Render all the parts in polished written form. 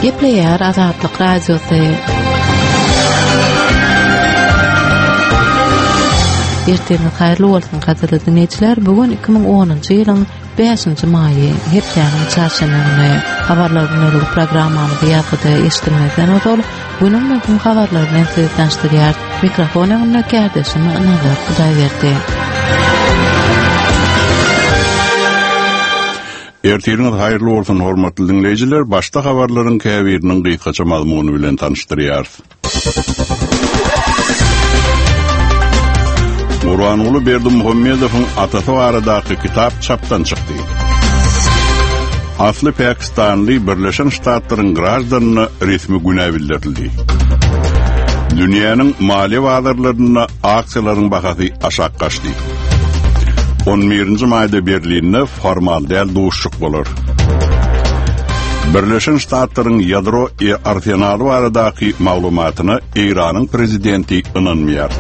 Gepleýär Azatlyk Radiosy. Ertiriňiz haýyrly bolsun, gadyrly diňleýjiler. Bu gün 2010-njy ýylyň 5-nji maýy, hepdäniň çarşenbe güni. Habarlar günlük programmamyzy ýazgyda eşidilmezden ozal, günüň möhüm habarlary bilen sizi tanyşdyrýar. Mikrofon öňünde kärdeşim Nazar Hudaýberdi. Ertiriňiz haýyrly bolsun, hormatly diňleýjiler! Başda habarlaryň käbiriniň gysgaça mazmuny bilen tanyşdyrýarys. Gurbanguly Berdimuhamedowyň atasy baradaky kitap çapdan çykdy. Asly pakistanly Birleşen Ştatlaryň graždanyna resmi günä bildirildi. Dünýäniň maliýe bazarlarynda aksiýalaryň bahasy aşak gaçdy. On birinji maýda Berlinde formal däl duşuşyk bolar. Birleşen Ştatlaryň ýadro arsenaly baradaky maglumatyna Eýranyň prezidenti ynanmaýar.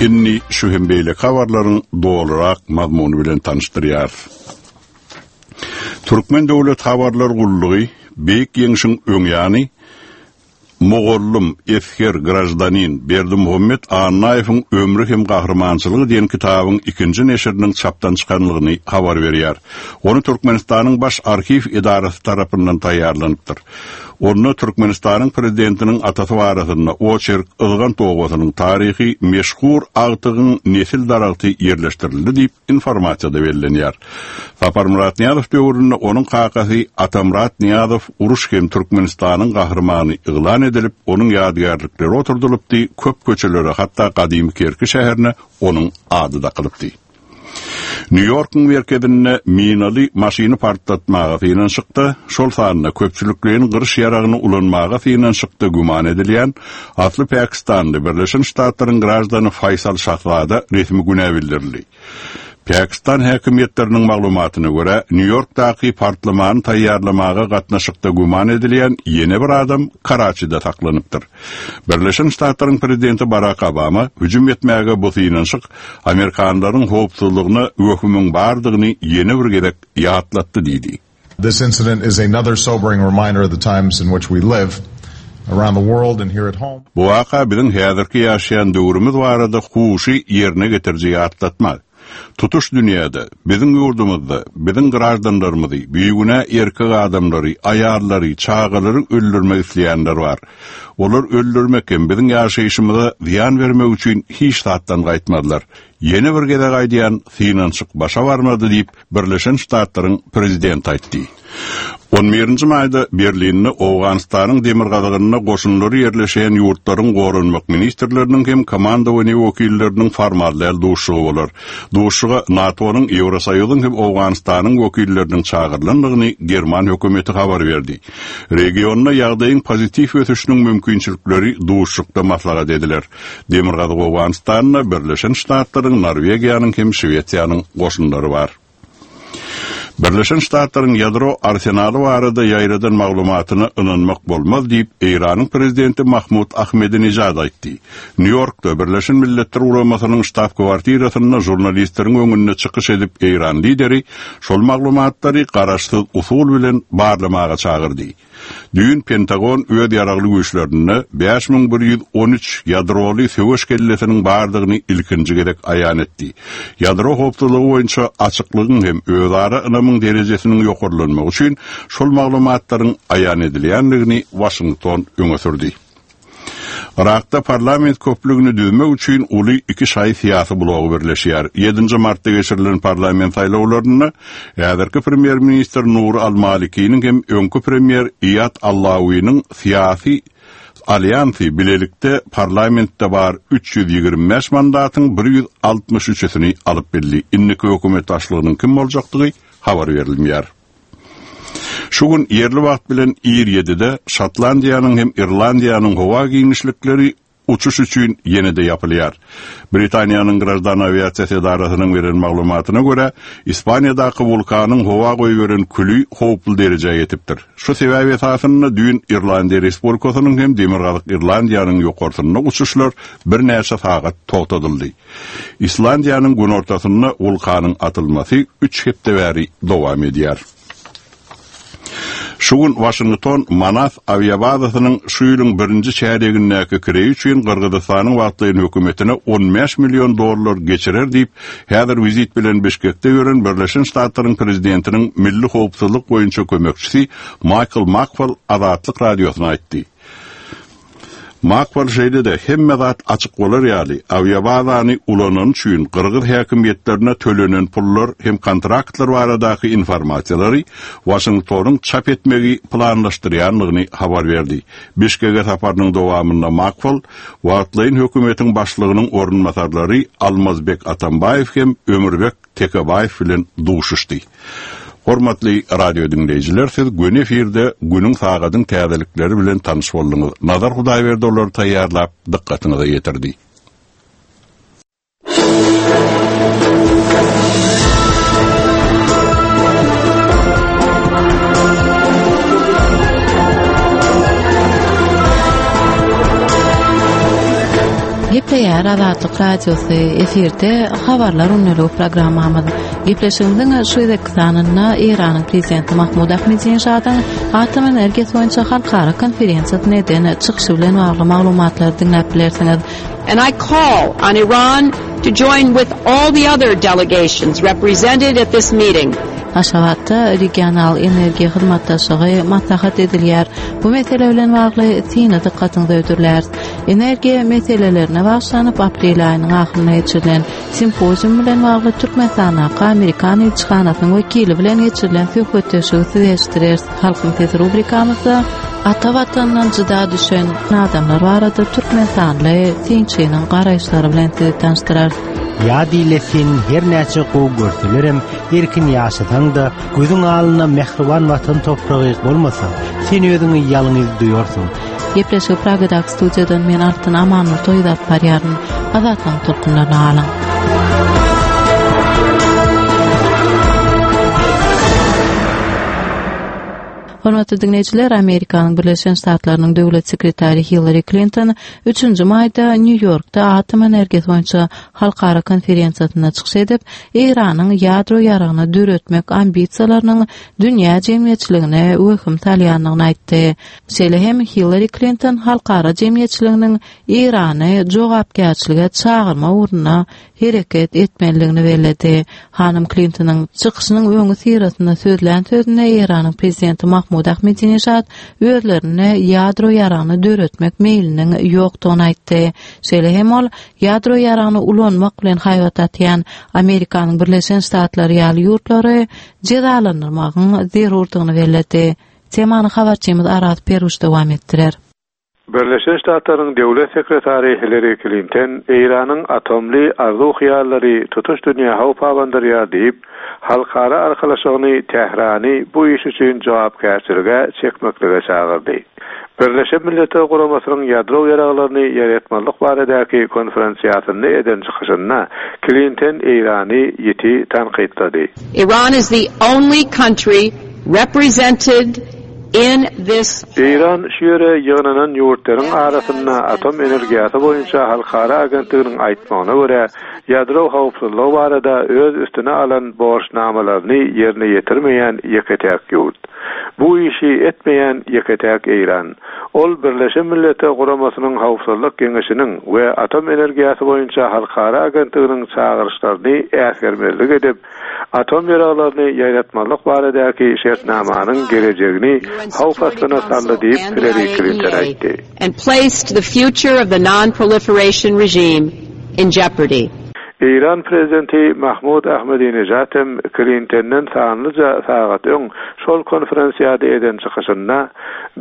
Indi şu hem beýleki habarlaryň dolurak mazmuny bilen tanyşdyrýarys. Türkmen döwlet habarlar gullugy Beýik Ýeňşiň öň ýany Mugallym, esger, graždanin Berdimuhamet Annaýewiň ömri hem gahrymançylygy diýen kitabyň ikinji neşiriniň çapdan çykanlygyny habar berýär. Ony Türkmenistanyň Baş arhiw edarasy tarapyndan taýýarlanypdyr. Onda Türkmenistanyň Prezidentiniň atasy barasynda oçerk Yzgant obasynyň taryhy meşhur agtygyň nesil daragty ýerleşdirildi diýip, Informasiýada bellenýär. Saparmyrat Nyýazow döwründe onuň kakasy Atamyrat Nyýazow uruş hem Türkmenistanyň Gahrymany yglan edilip, onuň ýadygärlikleri oturdylypdy, köp köçelere, hatda gadymy Kerki şäherine onuň ady dakylypdy. Nýu-Ýorkuň merkezinde minaly maşyny partlatmaga synanyşykda, şol sanda köpçülikleýin gyryş ýaragyny ulanmaga synanyşykda güman edilýän Asly pakistanly, Birleşen Ştatlaryň graždany Faýsal Şahzada resmi günä bildirildi. Pakistan häkimiýetleriniň maglumatyna görä, Nýu-Ýorkdaky partlamany taýýarlamaga gatnaşykda güman edilýän ýene bir adam Karaçide saklanypdyr. Birleşen Ştatlaryň prezidenti Barak Obama hüjüm etmäge bu synanyşyk amerikanlaryň howpsuzlygyna wehimiň bardygyny ýene bir gezek ýatlatdy diýdi. This incident is another sobering reminder of the times in which we live, around the world and here at home. Bu waka biziň häzirki ýaşaýan döwrümiz barada huşy ýerine getiriji ýatlatma. Tutuş dünýäde, biziň ýurdumyzda biziň graždanlarymyzy, bigünä erkek adamlary, aýallary, çagalary öldürmek isleýänler bar. Olar öldürmek hem biziň ýaşaýşymyza zyýan bermek üçin hiç zatdan gaýtmazlar. Ýene bir gezek aýdýan, synanyşyk başa barmady diýip, Birleşen Ştatlaryň prezidenti aýtdy. On birinji maýda Berlinde Owganystanyň demirgazygynda goşunlary ýerleşýän ýurtlaryň goranmak ministrleriniň hem komandowaniýe wekilleriniň formal däl duşuşygy bolar. Duşuşyga NATO-nyň, Ýewrosoýuzyň hem Owganystanyň wekilleriniň çagyrylandygyny german hökümeti habar berdi. Regionda ýagdaýyň pozitiw ösüşiniň mümkinçilikleri duşuşykda maslahat ediler. Demirgazyk Owganystanda Birleşen Ştatlaryň, Norwegiýanyň hem Şwesiýanyň goşunlary bar. Birleşen Ştatlaryň ýadro arsenaly barada ýaýradan maglumatyna ynanmak bolmaz diýip, Eýranyň prezidenti Mahmud Ahmedinejad aýtdy. Nýu-Ýorkda Birleşen Milletler Guramasynyň ştab-kwartirasynda žurnalistleriň öňünde çykyş edip eýran lideri şol maglumatlary garaşsyz usul bilen barlamaga çagyrdy. Düýn Pentagon öz ýaragly güýçlerinde 5113 ýadroly söweş kellesiniň bardygyny ilkinji gezek aýan etdi. Ýadro howpsuzlygy boýunça açyklygyň hem özara ynamyň derejesiniň ýokarlanmagy üçin şol maglumatlaryň aýan edilýändigini Waşington öňe sürdi. Yrakda parlament köplügini düzmek üçin uly iki şaýy syýasy blogy birleşýär. Ýedinji martda geçirilen parlament saýlawlarynda häzirki premýer-ministr Nuri al-Malikiniň hem öňki premýer Iýad Allawiniň syýasy alýansy bilelikde parlamentde bar 325 mandatyň bir 163-sini alyp bildi. Indiki hökümet başlygynyň kim boljakdygy habar berilmeýär. Şu gün ýerli wagt bilen ir ýedide Şotlandiýanyň hem Irlandiýanyň howa giňişlikleri uçuş üçin ýene-de ýapylýar. Britaniýanyň Graždan awiasiýasy edarasynyň beren maglumatyna görä, Ispaniýadaky wulkanyň howa goýberen küli howply derejä ýetipdir. Şu sebäp esasynda düýn Irlandiýa Respublikasynyň hem Demirgazyk Irlandiýanyň ýokarsynda uçuşlar birnäçe sagat togtadyldy. Islandiýanyň günortasynda wulkanyň atylmasy üç hepde bäri dowam edýär. Şu gün Waşington Manas awiabazasynyň şu ýylyň birinji çärýegindäki kireýi üçin Gyrgyzystanyň wagtlaýyn hökümetine 15 million dollar geçirer diýip, häzir wizit bilen Bişkekde ýören Birleşen Ştatlaryň prezidentiniň milli howpsuzlyk boýunça kömekçisi Maýkl Makfal Azatlyk Radiosyna aýtdy. Makfal şeýle-de hemme zat açyk bolar ýaly, awiabazany ulanany üçin gyrgyz häkimiýetlerine tölenen pullar hem kontraktlar baradaky informasiýalary Waşingtonyň çap etmegi planlaşdyrýandygyny habar berdi. Bişkege saparynyň dowamynda Makfal wagtlaýyn hökümetiň başlygynyň orunbasarlary Almazbek Atambaýew hem Ömürbek Tekebaýew bilen duşuşdy. Hormatly radio diňleýjiler, siz göni efirde günüň sagadyň täzelikleri bilen tanyş bolduňyz. Nazar Hudaýberdi olary taýýarlap, dykgatyňyza ýetirdi. Gepleýär Azatlyk Radiosy efirde Habarlar gündeligi programmamyz. Gepleşigimiziň şu gezekki sanynda Eýranyň Prezidenti Mahmud Ahmedinejadyň atom energiýasy boýunça halkara konferensiýasynda eden çykyşy bilen bagly maglumatlary diňläp bilersiňiz. And I call on Iran to join with all the other delegations represented at this meeting. Aşgabatda regional energiýa hyzmatdaşlygy maslahat edilýär. Bu mesele bilen bagly syny dykgatyňyza hödürläris. Energiýa meselelerine bagyşlanyp aprel aýynyň ahyrynda geçirilen simpozium bilen bagly Türkmenistandaky Amerikan ilçihanasynyň wekili bilen geçirilen söhbetdeşligi size eşitdireris. Halkyň sesi rubrikamyzda ata watanyndan jyda düşen adamlar barada türkmenistanly synçynyň garaýyşlary bilen sizi tanyşdyrarys. Ýa dile seni her näçe gowy görselerem, erkin ýaşasaň-da, gözüň alnynda mähriban watan topragy bolmasa, sen özüňi ýalňyz duýarsyň. Gepleşigi Pragadaky studiýadan men Altyn Amanmur toýuz alyp barýaryn. Azatlygyň tolkunlaryna galyň. Hormatly diňleýjiler, Amerikanyň Birleşen Ştatlarynyň döwlet sekretary Hillari Klinton 3-nji maýda Nýu-Ýorkda atom energiýasy boýunça halkara konferensiýasynda çykyş edip, Eýranyň ýadro ýaragyny döretmek ambisiýalarynyň dünýä jemgyýetçiligine wehim salýandygyny aýtdy. Şeýle hem Hillari Klinton halkara jemgyýetçiliginiň Eýrany jogapkärçilige çagyrmak ugrunda hereket etmelidigini belledi. Hanym Klintonyň çykyşynyň öňüsyrasynda sözlän sözünde Eýranyň prezidenti Mahmud Ahmedinejad özlerinde ýadro ýaragyny döretmek meýliniň ýokdugyny aýtdy. Şeýle hem ol ýadro ýaragyny ulanmak bilen haýbat atýan Amerikanyň Birleşen Ştatlary ýaly ýurtlary jezalandyrmagyň zerurdygyny belledi. Temany habarçymyz Araz Peruş dowam etdirer. Birleşen Ştatlaryň Döwlet sekretary Hillari Klinton Eýranyň atomly arzuw-hyýallary tutuş dünýä howp abandyrýar diýip, halkara arkalaşygyny Tährany bu iş üçin jogapkärçilige çekmeklige çagyrdy. Birleşen Milletler Guramasynyň ýadro ýaraglaryny ýaýratmazlyk baradaky konferensiýasynda eden çykyşynda Klinton Eýrany ýiti tankytlady. Iran is the only country represented in this Eýran şu ýere ýygnanan ýurtlaryň arasynda Atom energiýasy boýunça halkara agentliginiň aýtmagyna görä, ýadro howpsuzlygy barada öz üstüne alan borçnamalaryny ýerine ýetirmeýän ýeke-täk ýurt. Bu işi etmeýän ýeke-täk Eýran. Ol Birleşen Milletler Guramasynyň Howpsuzlyk Geňeşiniň we Atom energiýasy boýunça halkara agentliginiň çagyryşlaryny äsgermezlik edip, atom ýaraglaryny ýaýratmazlyk baradaky şertnamanyň gelejegini howp astyna saldy diýip, Hillari Klinton aýtdy. and placed the future of the non-proliferation regime in jeopardy. Eýran prezidenti Mahmud Ahmedinejad hem Klintenden sanlyja sagat öň şol konferensiýada eden çykyşynda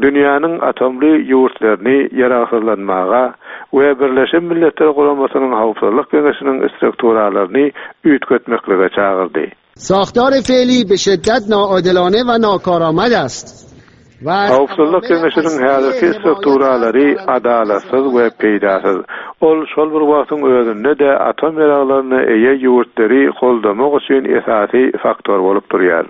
dünýäniň atomly ýurtlaryny ýaragsyzlanmaga we Birleşen Milletler Guramasynyň Howpsuzlyk Geňeşiniň strukturalaryny üýtgetmeklige çagyrdy. ساختار فعلی به شدت ناعادلانه و ناکارآمد است. Howpsuzlyk Geňeşiniň häzirki strukturalary adalatsyz we peýdasyz. Ol şol bir wagtyň özünde-de atom ýaraglaryna eýe ýurtlary goldamak üçin esasy faktor bolup durýar.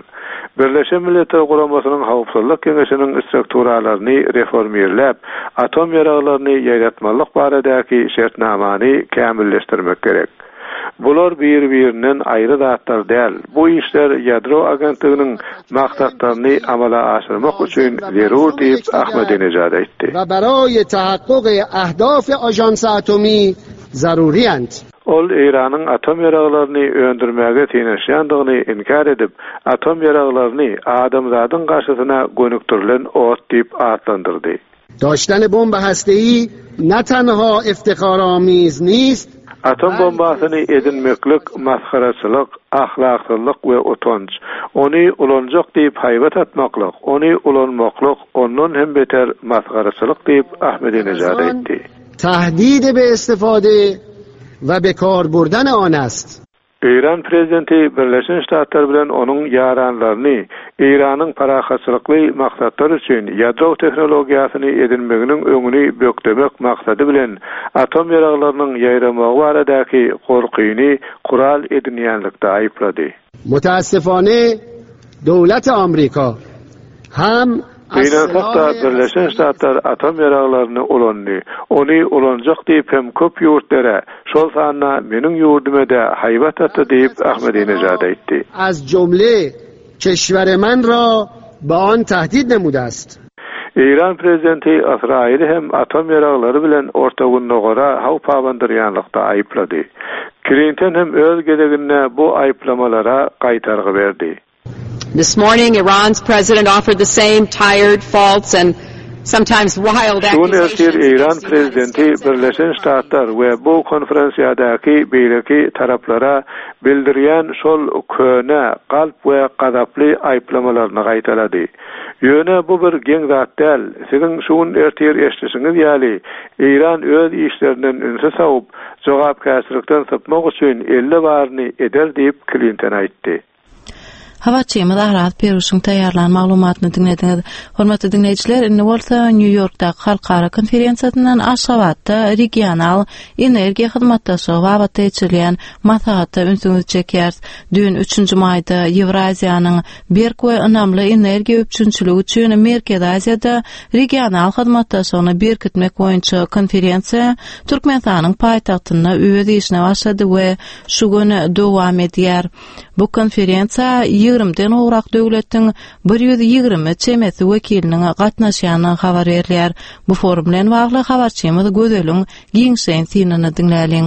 Birleşen Milletler Guramasynyň Howpsuzlyk Geňeşiniň strukturalaryny reformirläp, atom ýaraglaryny ýaýratmazlyk baradaky şertnamany kämilleşdirmek gerek. Bular bir-birinden aýry zatlar däl. Bu işler ýadro agentliginiň maksatlaryny amala aşyrmak üçin zerur diýip, Ahmadinejad aýtdy. و برای تحقق اهداف آژانس اتمی ضروری اند. Ol Eýranyň atom ýaraglaryny öndürmäge synanyşýandygyny inkär edip, atom ýaraglaryny adamzadyň garşysyna gönükdirilen ot diýip atlandyrdy. داشتن بمب هسته‌ای نه تنها افتخارآمیز نیست، Atom bombasyny edinmeklik masgaraçylyk, ahlaksyzlyk we utanç. Ony ulanjak diýip haýbat atmaklyk, ony ulanmaklyk ondan hem beter masgaraçylyk diýip, Ahmedinejad aýtdy. تهدید به استفاده و به کار بردن آن است. Eýran prezidenti Birleşen Ştatlar bilen onuň ýaranlaryny Eýranyň parahatçylykly maksatlar üçin ýadro tehnologiýasyny edinmeginiň öňüni bökdemek maksady bilen atom ýaraglarynyň ýaýramagy baradaky gorkyny gural edinýänlikde aýyplady. متاسفانه دولت آمریکا هم Gynansak-da, Birleşen Ştatlar atom ýaraglaryny ulandy. Ony ulanjak diýip hem köp ýurtlara, şol sanda meniň ýurdume-de haýbat atdy diýip, Ahmedinejad aýtdy. از جمله کشور من را به آن تهدید نموده است. Eýran prezidenti Ysraýyly hem atom ýaraglary bilen Orta Gündogara howp abandyrýanlykda aýyplady. Klinton hem öz gezeginde bu aýyplamalara gaýtargy berdi. This morning Iran's president offered the same tired, false and sometimes wild Şu gün ertir accusations Eýran against the United prezidenti States and other Birleşen states. Ştatlar we bu konferensiýadaky beýleki taraplara bildirýän şol köne, galp we gazaply aýyplamalaryny gaýtalady. Ýöne bu bir geň zat däl, siziň şu gün ertir eşidişiňiz ýaly, Eýran öz işlerinden ünsi sowup, jogapkärçilikden sypmak üçin elde baryny eder diýip, Klinton aýtdy. Habarçymyz Araz Perwişiň taýýarlan maglumatyny diňlediňiz. Hormatly diňleýjiler, indi bolsa Nýu-Ýorkdaky halkara konferensiýasyndan Aşgabatda regional energiýa hyzmatdaşlygy babatda geçirilýän maslahata ünsüňizi çekýäris. Düýn, üçünji maýda Ýewraziýanyň berk we ynamly energiýa üpjünçiligi üçin Merkezi Aziýada regional hyzmatdaşlygyny berkitmek boýunça konferensiýa Türkmenistanyň paýtagtynda öz işine başlady we şu gün dowam edýär. Bu konferensiýa ýigrimiden gowrak döwletiň 120 çemesi wekiliniň gatnaşýandygy habar berilýär. Bu forum bilen bagly habarçymyz Gözeliň giňişleýin synyny diňläliň.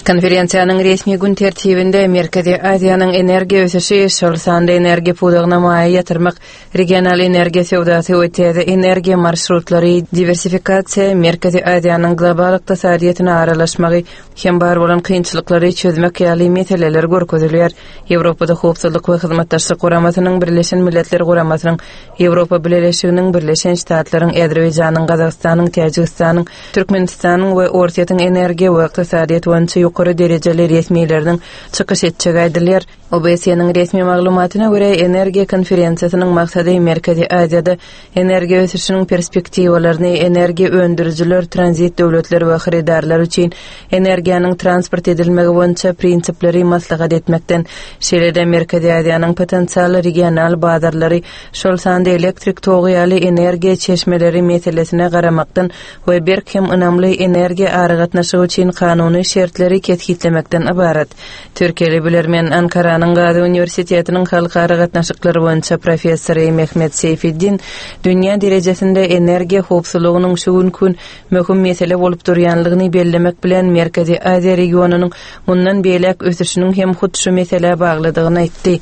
Konferensiýanyň resmi gün tertibinde Merkezi Aziýanyň energiýa ösüşi, şol sanda energiýa pudagyna maýa ýatyrmak, regional energiýa söwdasy we täze energiýa marşrutlary, diwersifikasiýa, Merkezi Aziýanyň global ykdysadyýetine aralaşmagy hem bar bolan kynçylyklary çözmek ýaly meseleler görkezilýär. Ýewropada Howpsuzlyk we Hyzmatdaşlyk Guramasynyň, Birleşen Milletler Guramasynyň, Ýewropa Bileleşiginiň, Birleşen Ştatlaryň, Azerbaýjanyň, Gazagystanyň, Täjigistanyň, Türkmenistanyň we Orsýetiň energiýa we ykdysadyýet boýunça ýokary derejeli resmileriniň çykyş etjegi aýdylýar. OBSE-niň resmi maglumatyna görä, energiýa konferensiýasynyň maksady Merkezi Aziýada energiýa ösüşiniň perspektiwalaryny, energiýa öndürijiler, tranzit döwletler we hyrydarlar üçin energiýanyň transport edilmegi boýunça prinsipleri maslahat etmekden, şeýle-de Merkezi Aziýanyň potensial regional bazarlary, şol sanda elektrik togy ýaly energiýa çeşmeleri meselesine garamakdan we berk hem ynamly energiýa aragatnaşygy üçin kanuny şertleri kesgitlemekden ybarat. Türkiýeli bilermen, Ankaranyň Gazi uniwersitetiniň halkara gatnaşyklary boýunça professory Mehmet Seýfiddin dünýä derejesinde energiýa howpsuzlygynyň şu günki gün möhüm mesele bolup durýanlygyny bellemek bilen, Merkezi Aziýa regionynyň mundan beýläk ösüşiniň hem hut şu meselä baglydygyny aýtdy.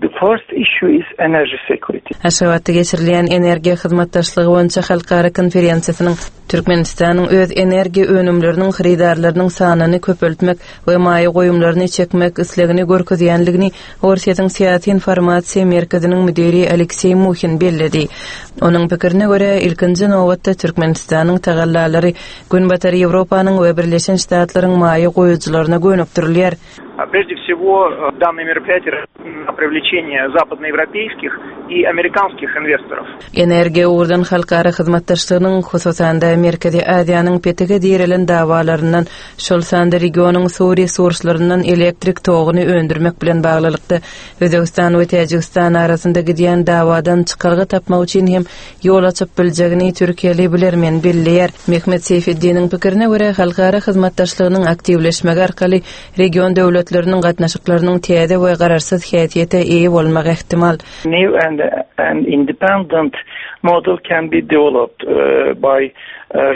The first issue is energy security. Aşgabatda geçirilýän energiýa hyzmatdaşlygy boýunça halkara konferensiýasynyň Türkmenistanyň öz energiýa önümleriniň hyrydarlarynyň sanyny köpeltmek we maýa goýumlaryny çekmek islegini görkezýändigini Orsýetiň Syýasy informasiýa merkeziniň müdiri Alekseý Muhin belledi. Onuň pikirine görä, ilkinji nobatda Türkmenistanyň tagallalary Günbatar Ýewropanyň we Birleşen Ştatlaryň maýa goýujylaryna gönükdirilýär. Прежде всего, данное мероприятие на привлечение западноевропейских и американских инвесторов. Energiýa ugurdan halkara hyzmatdaşlygynyň, hususan-da, Merkezi Aziýanyň petige direlen dawalaryndan, şol sanda regionyň suw resurslaryndan elektrik toguny öndürmek bilen baglylykda Özbegistan we Täjigistan arasynda gidýän dawadan çykalga tapmak üçin hem ýol açyp biljegini türkiýeli bilermen belleýär. Mehmet Seýfeddiniň pikirine görä, halkara hyzmatdaşlygynyň aktiwleşmegi arkaly region döwletleriniň gatnaşyklarynyň täze we garaşsyz häsiýete eýe bolmagy ähtimal. New and and independent model can be developed by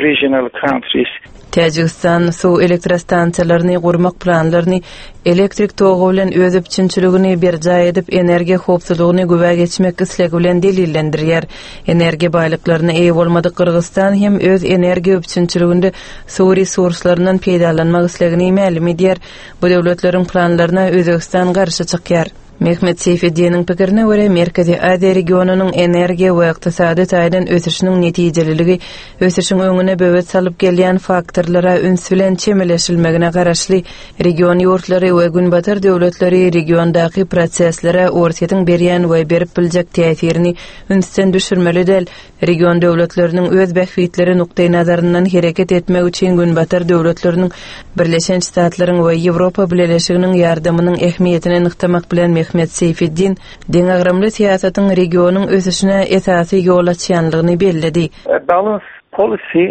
regional countries. Täjigistan suw elektrostansiýalaryny gurmak planlaryny elektrik togy bilen öz üpjünçiligini berjaý edip, energiýa howpsuzlygyny güwä geçmek islegi bilen delillendirýär. Energiýa baýlyklaryna eýe bolmadyk Gyrgyzystan hem öz energiýa üpjünçiliginde suw resurslaryndan peýdalanmak islegini mälim edýär. Bu döwletleriň planlaryna Özbegistan garşy çykýar. Mehmet Seýfeddiniň pikirine görä, Merkezi Aziýa regionynyň energiýa we ykdysady taýdan ösüşiniň netijeliligi ösüşiň öňüne böwet salyp gelýän faktorlara üns bilen çemeleşilmegine garaşly. Region ýurtlary we Günbatar döwletleri regiondaky proseslere Orsýetiň berýän we berip biljek täsirini ünsden düşürmeli däl. Region döwletleriniň öz bähbitleri nukdaýnazaryndan hereket etmegi üçin Günbatar döwletleriniň, Birleşen Ştatlaryň we Ýewropa Bileleşiginiň ýardamynyň ähmiýetini nygtamak bilen Mehmet Seýfeddin deňagramly syýasatyň regionyň ösüşine esasy ýol açýanlygyny belledi. A balanced policy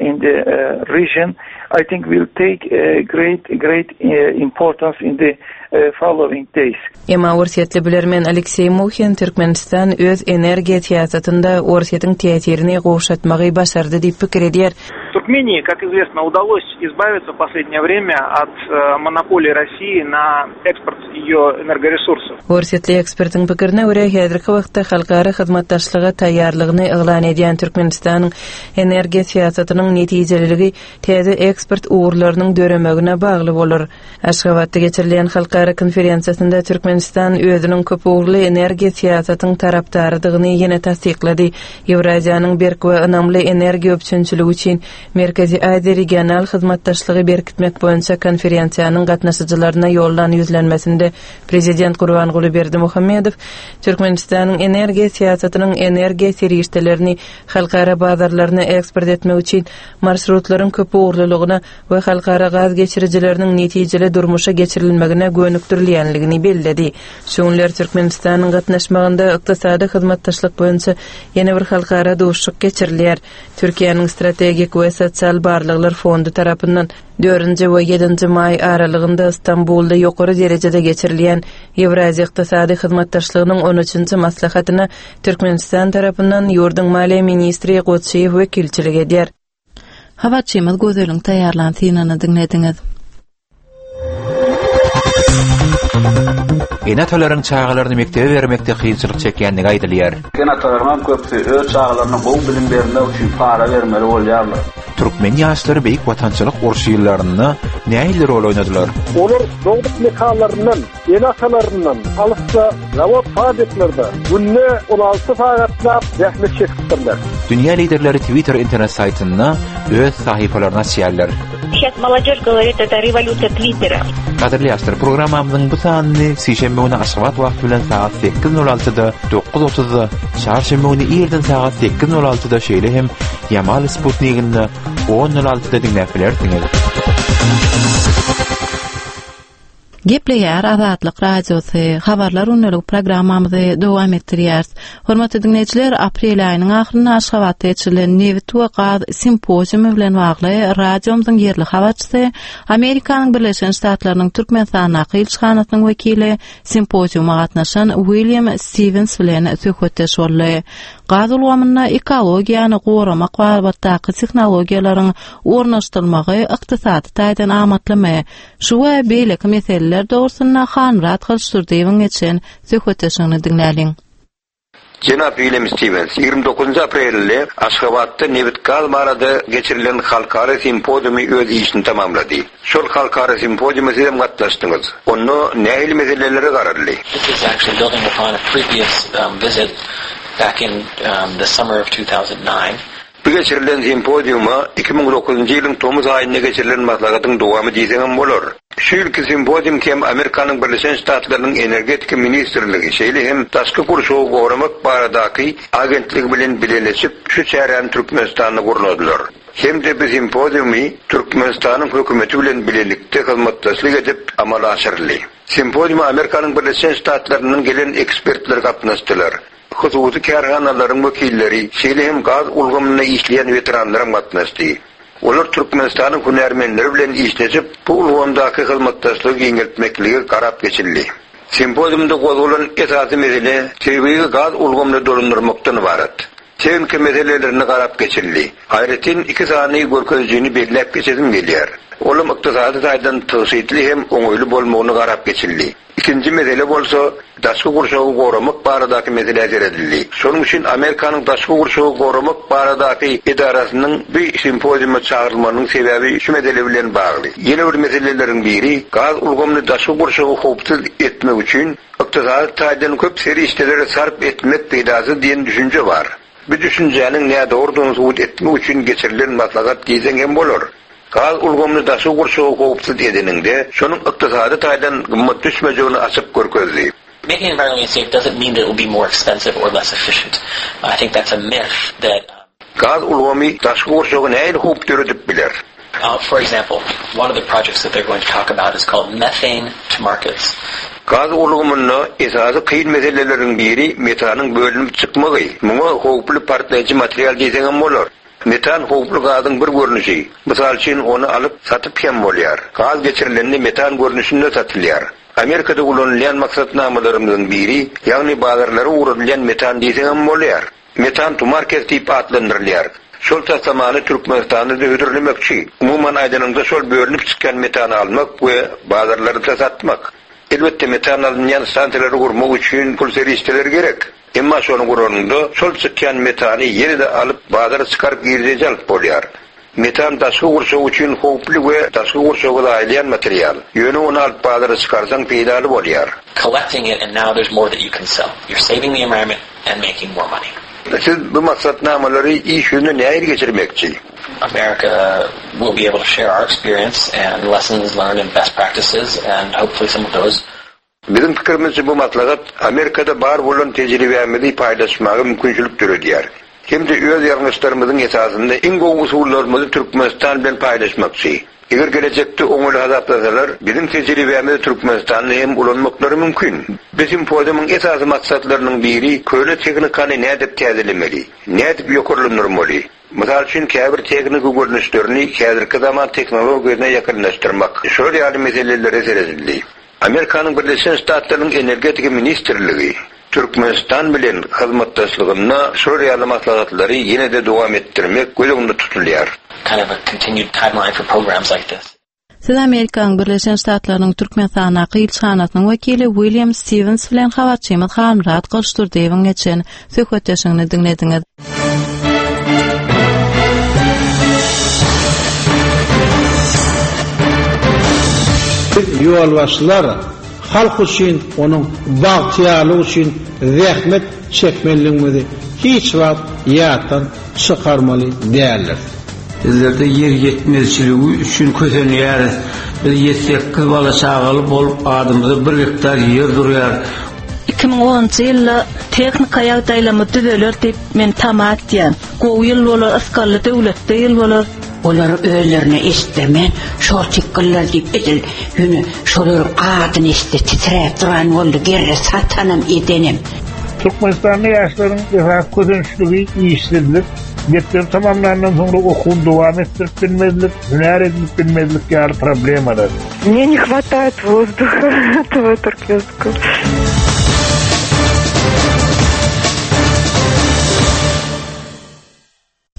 in the region I think will take great great importance in the following days. Emma orsýetli bilermen Alekseý Muhin Türkmenistan öz energiýa syýasatynda Orsýetiň täsirini gowşatmagy başardy diýip pikir edýär. Turkmenii, как известно, удалось избавиться в последнее время от монополии России на экспорт ее энергоресурсов. Orsýetli ekspertiň pikirine görä, häzirki wagtda halkara hyzmatdaşlyga taýýarlygyny yglan edýän Türkmenistanyň energiýa syýasatynyň netijeliligi täze eksport ugurlarynyň döremegine bagly bolar. Aşgabatda geçirilýän halkara konferensiýasynda Türkmenistan özüniň köpugurly energiýa syýasatyň tarapdarydygyny ýene tassyklady. Ýewraziýanyň berk we ynamly energiýa üpjünçiligi üçin Merkezi Aziýa regional hyzmatdaşlygy berkitmek boýunça konferensiýanyň gatnaşyjylaryna ýollan ýüzlenmesinde Prezident Gurbanguly Berdimuhamedow Türkmenistanyň energiýa syýasatynyň energiýa serişdelerini halkara bazarlaryna eksport etmek üçin marşrutlaryň köpugurlylygyna we halkara gaz geçirijileriniň netijeli durmuşa geçirilmegine gönükdirilýänligini belledi. Şu günler Türkmenistanyň gatnaşmagynda ykdysady hyzmatdaşlyk boýunça ýene bir halkara duşuşyk geçirilýär. Türkiýäniň Strategik we sosial barlaglar fondy tarapyndan dördünji we ýedinji maý aralygynda Stambulda ýokary derejede geçirilýän Ýewraziýa ykdysady hyzmatdaşlygynyň on üçünji maslahatyna Türkmenistan tarapyndan ýurduň maliýe ministri Goçyýew wekilçilik edýär. Habarçymyz Gözeliň taýýarlan synyny diňlediňiz. Ene-atalaryň çagalaryny mekdebe bermekde kynçylyk çekýändigi aýdylýar. Ene-atalaryň hem köpüsi öz çagalaryna gowy bilim bermek üçin para bermeli bolýarlar. Türkmen ýaşlary Beýik Watançylyk urşy ýyllarynda nähili rol oýnadylar? Olar dogduk mekanlaryndan Ene-atalaryndan alysda zawod-fabriklerde günde 16 sagatlap zähmet çekipdirler. Dünýä liderleri Twitter internet saýtynda öz sahypalaryny açýarlar. Сейчас молодежь говорит, это революция Твиттера. Gadyrly ýaşlar, programmamyzyň bu sanyny sişenbe güni Aşgabat wagty bilen sagat 8:06-da, 9:30-da, çarşenbe güni irden sagat 8:06-da, şeýle hem Ýamal Sputniginde 10:06-da diňläp bilersiňiz. Gepleýär Azatlyk Radiosy, Habarlar gündelik programmamyzy dowam etdirýäris. Hormatly diňleýjiler, aprel aýynyň ahyrynda Aşgabatda geçirilen nebit we gaz simpoziumy bilen bagly radiomyzyň ýerli habarçysy, Amerikanyň Birleşen Ştatlarynyň Türkmenistandaky ilçihanasynyň wekili simpoziuma gatnaşan William Stiwens bilen söhbetdeş boldy. Gaz ulgamynda ekologiýany goramak babatdaky tehnologiýalaryň ornaşdyrylmagy ykdysady taýdan amatlymy? Şu we beýleki meseleler dogrusynda Hanmyrat Gylyçdurdyýewiň geçiren söhbetdeşligini diňläliň. Jenap William Stiwens, 29 aprelde Aşgabatda nebit-gaz barada geçirilen halkara simpoziumy öz işini tamamlady. Şol halkara simpoziuma siz hem gatnaşdyňyz. Onda nähili meselelere garaldy? This is actually building upon a previous visit back in the summer of 2009. Bu geçirilen simpoziuma 2009-njy ýylyň tomus aýynda geçirilen maslahatyň dowamy diýseňem bolar. Şu ýylky simpozium hem Amerikanyň Birleşen Ştatlarynyň Energetika ministrligi, şeýle hem Daşky gurşawy goramak baradaky agentligi bilen bileleşip şu çäräni Türkmenistanda gurnadylar. Hem-de bu simpoziumy Türkmenistanyň hökümeti bilen bilelikde hyzmatdaşlyk edip amala aşyryldy. Simpoziuma Amerikanyň Birleşen Ştatlaryndan gelen ekspertler gatnaşdylar. Hususy kärhanalaryň wekilleri, şeýle hem gaz ulgamynda işleýän weteranlaram gatnaşdy. Olar Türkmenistanyň hünärmenleri bilen işleşip, bu ulgamdaky hyzmatdaşlygy giňeltmeklige garap geçildi. Simpoziumda gozgalan esasy mesele tebigy gaz ulgamyny dolandyrmakdan ybarat. Tehniki meselelerine garap geçildi. Aýratyn iki sany görkezijini belläp geçesim gelýär. Olam ykdysady taýdan tygşytly hem oňaýly bolmagyna garap geçildi. Ikinji mesele bolsa, daşky gurşawy goramak baradaky meselä seredildi. Şonuň üçin Amerikanyň daşky gurşawy goramak baradaky edarasynyň bu simpoziuma çagyrylmagynyň sebäbi şu mesele bilen bagly. Ýene bir meseleleriň biri, gaz ulgamyny daşky gurşawy howpsuz etmek üçin ykdysady taýdan köp serişdeleri sarp etmek peýdasyz diýen düşünje bar. Bu düşünjäniň nädogrudygyny subut etmek üçin geçirilen maslahat diýseň hem bolar. Gaz ulgamyny daşky gurşawy howpsuz edeniňde, şonuň ykdysady taýdan gymmat düşmejegini açyp görkezdi. Making environmentally safe doesn't mean that it will be more expensive or less efficient. I think that's a myth that. Gaz ulgamy daşky gurşawa nähili howp döredip biler? For example, one of the projects that they're going to talk about is called Methane to Markets. Gaz ulgamynda esasy kyn meseleleriň biri metanyň bölünip çykmagy. Muňa howply partlaýjy material diýseňem bolar. Metan howply gazyň bir görnüşi. Mysal üçin, ony alyp, satyp hem bolýar. Gaz geçirilende metan görnüşinde satylýar. Amerikada ulanylýan maksatnamalarymyzyň biri, ýagny bazarlara ugradylýan metan diýseňem bolýar. Metan to market diýip atlandyrylýar. Şol taslamany Türkmenistanda-da hödürlemekçi. Umuman aýdanyňda şol bölünip çykýan metany almak we bazarlarda satmak. Elbetde metan alynýan stansiýalary gurmak üçin pul serişdeleri gerek. Emma şony guranyňda şol çykýan metany ýene-de alyp bazara çykaryp girdeji alyp bolýar. Metan daşky gurşaw üçin howply we daşky gurşawy zaýalaýan material. Ýöne ony alyp bazara çykarsaň peýdaly bolýar. Collecting it and now there's more that you can sell. You're saving the environment and making more money. Siz bu maksatnamalary iş ýüzüne nähili geçirmekçi? America will be able to share our experience and lessons learned and best practices and hopefully some of those Biziň pikirimizçe bu maslahat Amerikada bar bolan tejribämizi paýlaşmaga mümkinçilik döredýär. Hem-de öz ýalňyşlarymyzyň esasynda iň gowy usullarymyzy Türkmenistan bilen paýlaşmakçy. Eger gelejekde oňaýly hasaplasalar, biziň tejribämizi Türkmenistanda hem ulanmaklary mümkin. Bu simpoziumyň esasy maksatlarynyň biri köne tehnikany nädip täzelemeli, nädip ýokarlandyrmaly, mysal üçin käbir tehniki görnüşlerini häzirki zaman tehnologiýasyna ýakynlaşdyrmak, şular ýaly meselelere seredildi. Amerikanyň Birleşen Ştatlarynyň Energetika ministrligi Türkmenistan bilen hyzmatdaşlygynda şular ýaly maslahatlary ýene-de dowam etdirmek göz öňünde tutulýar. Kind of a continued timeline for programs like this. Siz Amerikanyň Birleşen Ştatlarynyň Türkmenistandaky ilçihanasynyň wekili William Stiwens bilen habarçymyz Halmyrat Gylyçdurdyýewiň geçen söhbetdeşligini diňlediňiz. Biz ýolbaşçylar halk üçin, onuň bagtyýarlygy üçin zähmet çekmelidigimizi hiç wagt ýatdan çykarmaly däldiris. Bizlerde ýer ýetmezçiligi üçin kösenýäris. Biz ýedi-sekiz bala-çagaly bolup adymyza bir gektar ýer durýar. 2010-njy ýylda tehnika ýagdaýlarymyz düzeler diýip men tama etýän. Gowy ýyl bolar, ysgally döwletli ýyl bolar. Olar özlerine eşitdirmän şortikgyllar diýip edil ýöne şolaryň adyny eşitse titräp duran boldy gerre satanam edenem. Türkmenistanda ýaşlaryň esasy kösençligi işsizlik, mekdebi tamamlandan soňra okuwyny dowam etdirip bilmezlik, hünär edinip bilmezlik ýaly problemalar. Мне не хватает воздуха этого туркменского.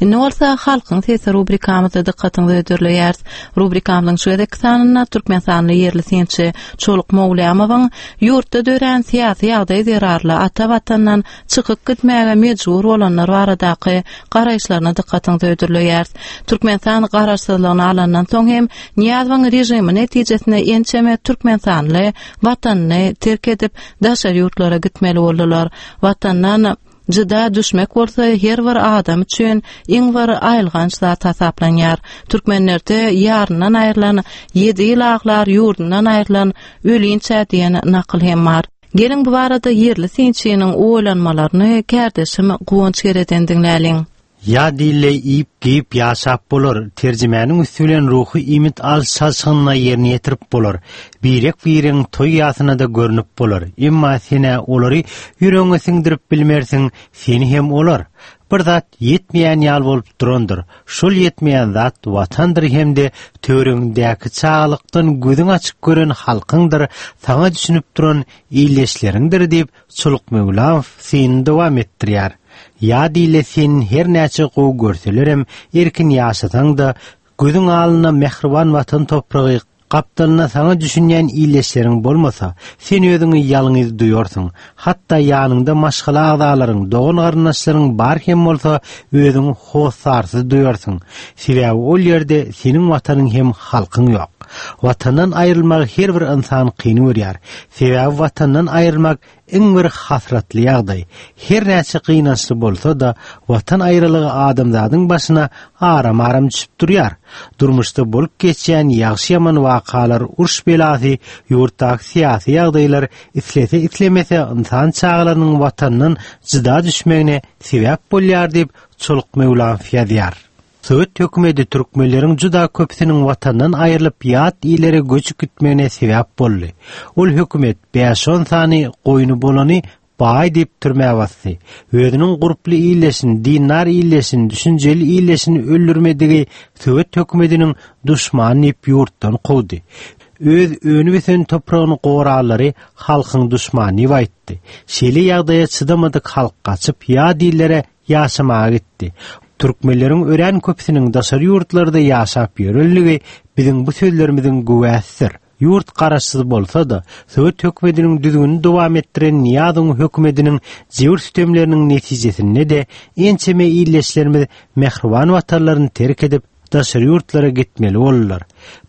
Indi bolsa Halkyň sesi rubrikamyzda dykgatyňyza hödürleýäris. Rubrikamyzyň şu gezekki sanynda türkmenistanly ýerli synçy Çoluk Mowlýamowyň ýurtda dörän syýasy ýagdaý zerarly ata Watandan çykyp gitmäge mejbur bolanlar baradaky garaýyşlaryna dykgatyňyza hödürleýäris. Türkmenistan garaşsyzlygyny alandan soň hem Nyýazowyň režimi netijesinde ençeme türkmenistanly Watanyny terk edip, daşary ýurtlara gitmeli boldular. Watandan. Jyda düşmek bolsa her bir adam üçin iň bir aýylganç zat hasaplanýar. Türkmenlerde ýaryndan aýrylan ýedi ýyl aglar, ýurdundan aýrylan ölinçä diýen nakyl hem bar. Geliň bu barada ýerli synçynyň oýlanmalaryny kärdeşim Guwanç Gereden diňläliň. Ýa dilleý iýip, geýip ýaşap bolar, terjimäniň üsti bilen ruhy iýmit alyş-çalşygyny-da ýerine ýetirip bolar, birek-biregiň toý-ýasyna-da görnüp bolar, emma sen-ä olary ýüregiňe siňdirip bilmersiň, seni hem olar. Bir zat ýetmeýän ýaly bolup durandyr, şol ýetmeýän zat Watandyr hem-de töweregiňdäki çagalykdan gözüň açyk gören halkyňdyr, saňa düşünip duran ildeşleriňdir diýip, Çoluk Möwlamow synyny dowam etdirýär. Ýa dile sen her näçe gowy görselerem, erkin ýaşasaň-da, gözüň alnynda mähriban Watan topragy, gapdalynda saňa düşünýän ildeşleriň bolmasa, sen özüňi ýalňyz duýarsyň. Hatda ýanyňda maşgala agzalaryň, dogan-garyndaşlaryň bar hem bolsa, özüňi hossarsyz duýarsyň. Sebäbi ol ýerde seniň Watanyň hem halkyň ýok. Watandan aýrylmagy her bir ynsan kyn görýär. Sebäbi Watandan aýrylmak iň bir hasratly ýagdaý. Her näçe gynançly bolsa-da, Watan aýralygy adamzadyň başyna aram-aram düşüp durýar. Durmuşda bolup geçýän ýagşy-ýaman wakalar, uruş belasy, ýurtdaky syýasy ýagdaýlar islese-islemese ynsan çagalarynyň Watandan jyda düşmegine sebäp bolýar diýip, Çoluk Möwlamow ýazýar. Sowet hökümeti türkmenleriň juda köpüsiniň watandan aýrylyp ýat illere göçüp gitmegine sebäp boldy. Ol hökümet bäş-on sany goýny bolany baý diýip türmä basdy. Özüniň gurply ildeşini, dindar ildeşini, düşünjeli ildeşini öldürmedigi sowet hökümetiniň duşmany diýip ýurtdan kowdy. Öz önüp-ösen topragyny goralary halkyň duşmany diýip aýtdy. Şeýle ýagdaýa çydamadyk halk gaçyp ýat illere ýaşamaga gitdi. Türkmenleriň örän köpüsiniň daşary ýurtlarda ýaşap ýörenligi biziň bu sözlerimiziň güwäsidir. Ýurt garaşsyz bolsa-da, sowet hökümetiniň düzgünini dowam etdiren Nyýazowyň hökümetiniň jebir-sütemleriniň netijesinde-de ençeme ildeşlerimiz mähriban watanlaryny terk edip, daşary ýurtlara gitmeli boldular.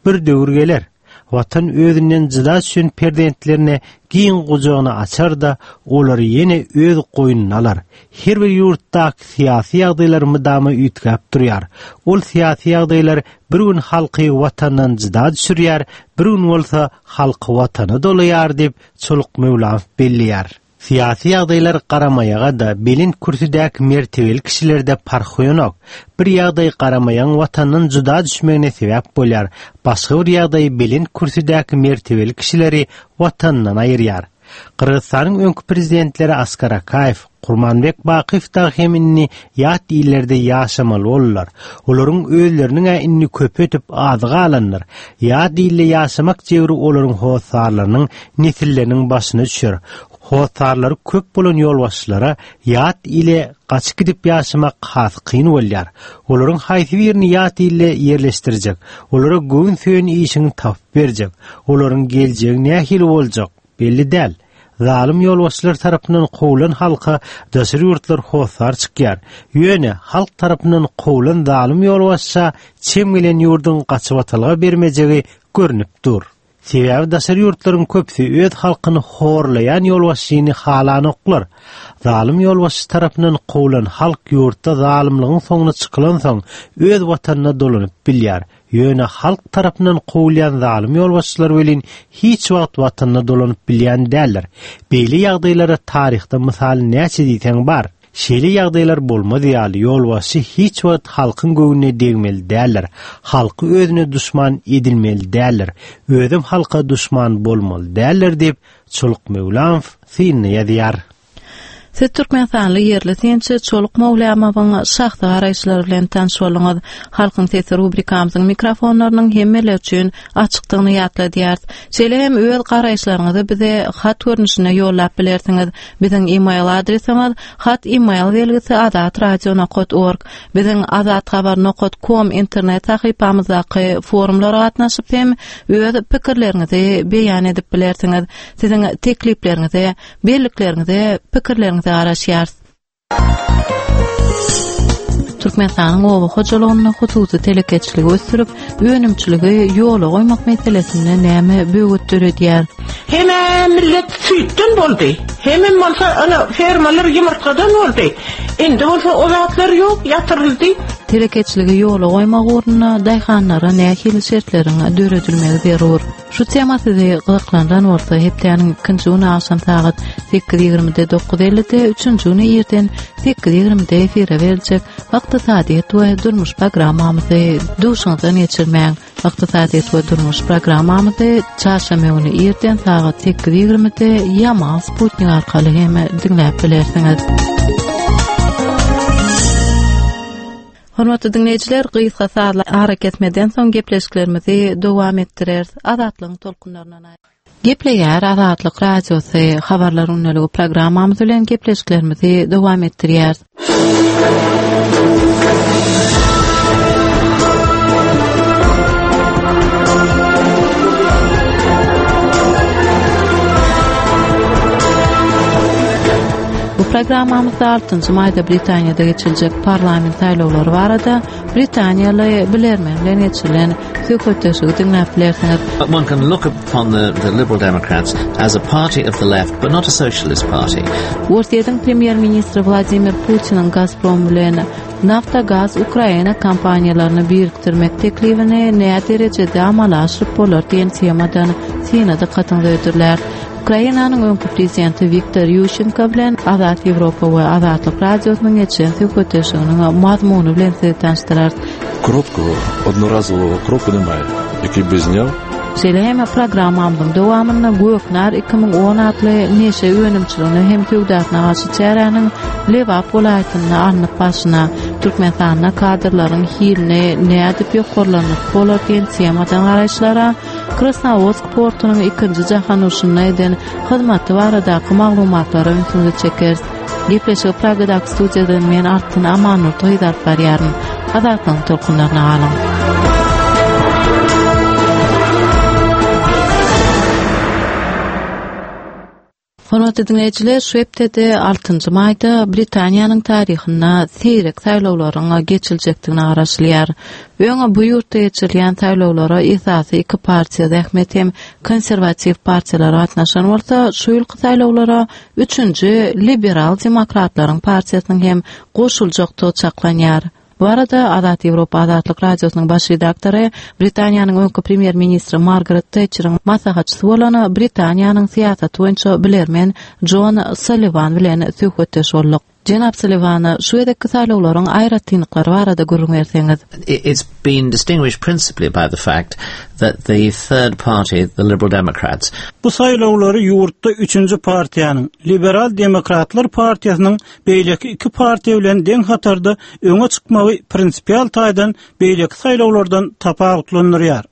Bir döwür geler, Watan özünden jyda düşen perzentlerine giň gujagyny açar-da, olary ýene öz goýnuna alar. Her bir ýurtdaky syýasy ýagdaýlar mydama üýtgäp durýar. Ol syýasy ýagdaýlar bir gün halky Watandan jyda düşürýär, bir gün bolsa halky Watana dolaýar diýip, Çoluk Möwlamow belleýär. Syýasy ýagdaýlar garamaýaga-da, belent kürsüdäki mertebeli kişilerde parh goýanok. Bir ýagdaý garamaýagyň watandan jyda düşmegine sebäp bolýar, başga bir ýagdaý belent kürsüdäki mertebeli kişileri watanyndan aýyrýar. Gyrgyzystanyň öňki prezidentleri Askar Akaýew, Kurmanbek Bakyýew dagy hem indi ýat illerde ýaşamaly boldular. Olaryň özleriniň-ä indi köpi ötüp, azy galandyr. Ýat ilde ýaşamak jebri olaryň hossarlarynyň, nesilleriniň başyna düşer. Hossarlary köp bolan ýolbaşçylara ýat ile gaçyp gidip ýaşamak has kyn bolýar. Olaryň haýsy birini ýat ilde ýerleşdirjek, olara göwün söýen işiňi tapyp berjek, olaryň geljegi nähili boljak, belli däl. Zalym ýolbaşçylar tarapyndan kowlan halka daşary ýurtlar hossar çykýar. Ýöne halk tarapyndan kowlan zalym ýolbaşça çem gelen ýurduň gaçybatalga bermejegi görnüp dur. Sebäbi daşary ýurtlaryň köpüsi öz halkyny horlaýan ýolbaşçyny halanoklar. Zalym ýolbaşçy tarapyndan kowlan halk ýurtda zalymlygyň soňuna çykylansoň öz watanyna dolanyp bilýär. Ýöne halk tarapyndan kowulýan zalym ýolbaşçylar welin hiç wagt watanyna dolanyp bilýän däldir. Beýle ýagdaýlara taryhda mysal näçe diýseň bar. Şeýle ýagdaýlar bolmaz ýaly ýolbaşçy hiç wagt halkyň göwnüne degmeli däldir. Halky özüne duşman edinmeli däldir. Özem halka duşman bolmaly däldir diýip, Çoluk Möwlamow synynda ýazýar. Siz türkmenistanly ýerli synçy Çoluk Mowlamowyň şahsy garaýyşlary bilen tanyş bolduňyz. Halkyň sesi rubrikamyzyň mikrofonlarynyň hemmeler üçin açykdygyny ýatladýarys. Şeýle hem öz garaýyşlaryňyzy bize hat görnüşinde ýollap bilersiňiz. Biziň e-mail adresimiz hat e-mail belgisi azatradio nokat org. Biziň azathabar nokat kom internet sahypamyzdaky forumlara gatnaşyp hem öz pikirleriňizi beýan edip bilersiňiz. Siziň teklipleriňize, bellikleriňize, pikirleriňize garaşýarys. Türkmenistanyň oba hojalygynda hususy telekeçiligi ösdürip, önümçiligi ýola goýmak meselesinde näme böwet döredýär? Hemä millet süýtden boldy. Hemem bolsa ana fermalar ýumurtgadan boldy. Indi bolsa o zatlar ýok, ýatyryldy. Telekeçiligi ýola goýmak ugrunda daýhanlara nähili şertleriň döredilmegi zerur? Şu tema sizi gyzyklandyran bolsa, hepdäniň ikinji güni agşam sagat 8:20-de 9:50-de, üçünji güni irden 8:20-de efire beriljek Ykdysadyýet we durmuş programmamyzy duşuňyzdan geçirmäň. Ykdysadyýet we durmuş programmamyzy çarşenbe güni irden sagat 8:20-de Ýamal Sputnik arkaly hem diňläp bilersiňiz. Hormatly diňleýjiler, gysga sazly arakesmeden soň gepleşiklerimizi dowam etdireris. Azatlygyň tolkunlaryndan Gepleýär Azatlyk Radiosy, Habarlar gündeligi programmamyz bilen gepleşiklerimizi dowam etdirýäris. Bu programmamyzda 6-njy maýda Britaniýada geçiriljek parlament saýlawlary barada britaniýaly bilermen bilen geçirilen söhbetdeşligi diňläp bilersiňiz. One can look upon the, the Liberal Democrats as a party of the left, but not a socialist party. Orsýetiň premýer-ministri Wladimir Putiniň Gazprom bilen Naftogaz Ukraina kompaniýalaryny birikdirmek teklibini nä derejede amala aşyryp bolar diýen temadan syna dykgatyňyza hödürlär. Ukrainanyň öňki prezidenti Wiktor Ýuşenko bilen Azat Ýewropa we Azatlyk Radiosynyň geçiren söhbetdeşliginiň mazmuny bilen sizi tanyşdyrarys. Короткого, одноразового кроку немає, який би зняв Şeýle hem programmamyzyň dowamynda Göknar 2010 atly neşe önümçiligine hem söwdasyna garşy çäräniň Lebap welaýatynda alnyp barşyna, Türkmenistanda kadrlaryň hilini nädip ýokarlandyryp bolar diýen temadan garaýyşlara, Krasnowodsk portunyň ikinji jahan urşunda eden hyzmaty baradaky maglumatlara ünsüňizi çekeris. Gepleşigi Pragadaky studiýadan men Altyn Amannurdy gyz alyp barýaryn. Azatlygyň tolkunlaryna galyň. Hormatly diňleýjiler, şu hepdede altynjy maýda Britaniýanyň taryhynda seýrek saýlawlaryň geçiriljekdigine garaşylýar. Öň bu ýurtda geçirilýän saýlawlara esasy iki partiýa Zähmet hem Konserwatiw partiýalary gatnaşan bolsa, şu ýylky saýlawlara üçünji Liberal demokratlaryň partiýasynyň hem goşuljakdygy çaklanýar. Bu barada Azat Ýewropa Azatlyk Radiosynyň baş redaktory, Britaniýanyň öňki premýer-ministri Margaret Tetçeriň maslahatçysy bolan Britaniýanyň syýasaty boýunça bilermen Jon Salliwan bilen söhbetdeş bolduk. Jenap Salliwan, şu gezekki saýlawlaryň aýratynlyklary barada gürrüň berseňiz. It's been distinguished principally by the fact that the third party, the Liberal Democrats, Bu saýlawlary ýurtda üçünji partiýanyň, Liberal demokratlar partiýasynyň beýleki iki partiýa bilen deň hatarda öňe çykmagy prinsipial taýdan beýleki saýlawlardan tapawutlandyrýar.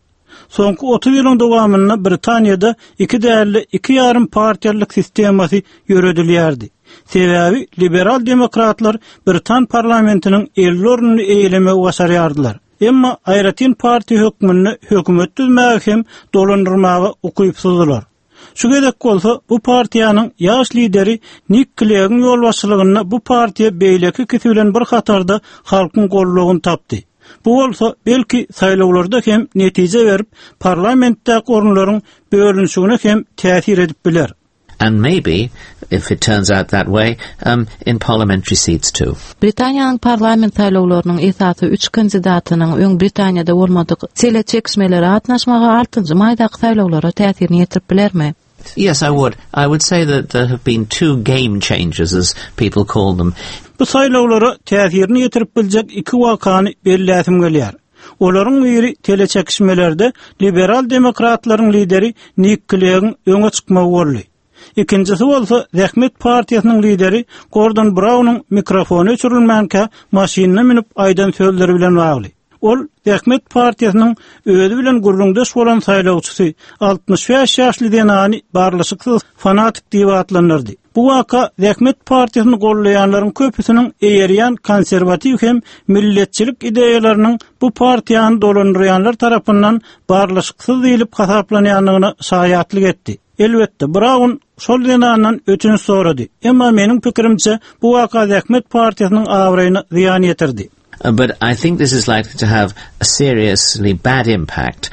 Soňky 30 ýylyň dowamynda Britaniýada iki däl-de, iki ýarym partiýalylyk sistemasy ýöredilýärdi. Sebäbi liberal demokratlar britan parlamentiniň 50 ornuny eýelemegi başarýardylar. Emma aýratyn partiýa hökmünde hökümet düzmäge hem dolandyrmaga ukypsyzdylar. Şu gezek bolsa bu partiýanyň ýaş lideri Nik Kleggiň ýolbaşçylygynda bu partiýa beýleki ikisi bilen bir hatarda halkyň goldawyny tapdy. Bu bolsa, belki, saýlawlarda hem netije berip, parlamentdäki orunlaryň bölünişigine hem täsir edip biler. And maybe, if it turns out that way, um, in parliamentary seats too. Britaniýanyň parlament saýlawlarynyň esasy üç kandidatynyň öň Britaniýada bolmadyk teleçekişmelere gatnaşmagy altynjy maýdaky saýlawlara täsirini ýetirip bilermi? Yes, I would. I would say that there have been two game changers, as people call them. Bu saýlawlara täsirini ýetirip biljek iki wakany belläsim gelýär. Olaryň biri teleçekişmelerde liberal demokratlaryň lideri Nik Kleggiň öňe çykmagy boldy. Ikinjisi bolsa Zähmet partiýasynyň lideri Gordon Braunyň mikrofony öçürilmänkä maşynyna münüp aýdan sözleri bilen bagly. Ol Zähmet partiýasynyň özi bilen gürrüňdeş bolan saýlawçysy, 65 ýaşly zenany barlyşyksyz fanatik diýip atlandyrdy. Bu waka Zähmet partiýasyny goldaýanlaryň köpüsiniň eýerýän konserwatiw hem milletçilik ideýalarynyň bu partiýany dolandyrýanlar tarapyndan barlyşyksyz diýlip hasaplanýandygyna şaýatlyk etdi. Elbetde, Braun şol zenandan ötünç sorady. Emma meniň pikirimçe, bu waka Zähmet partiýasynyň abraýyna zyýan ýetirdi. But I think this is likely to have a seriously bad impact.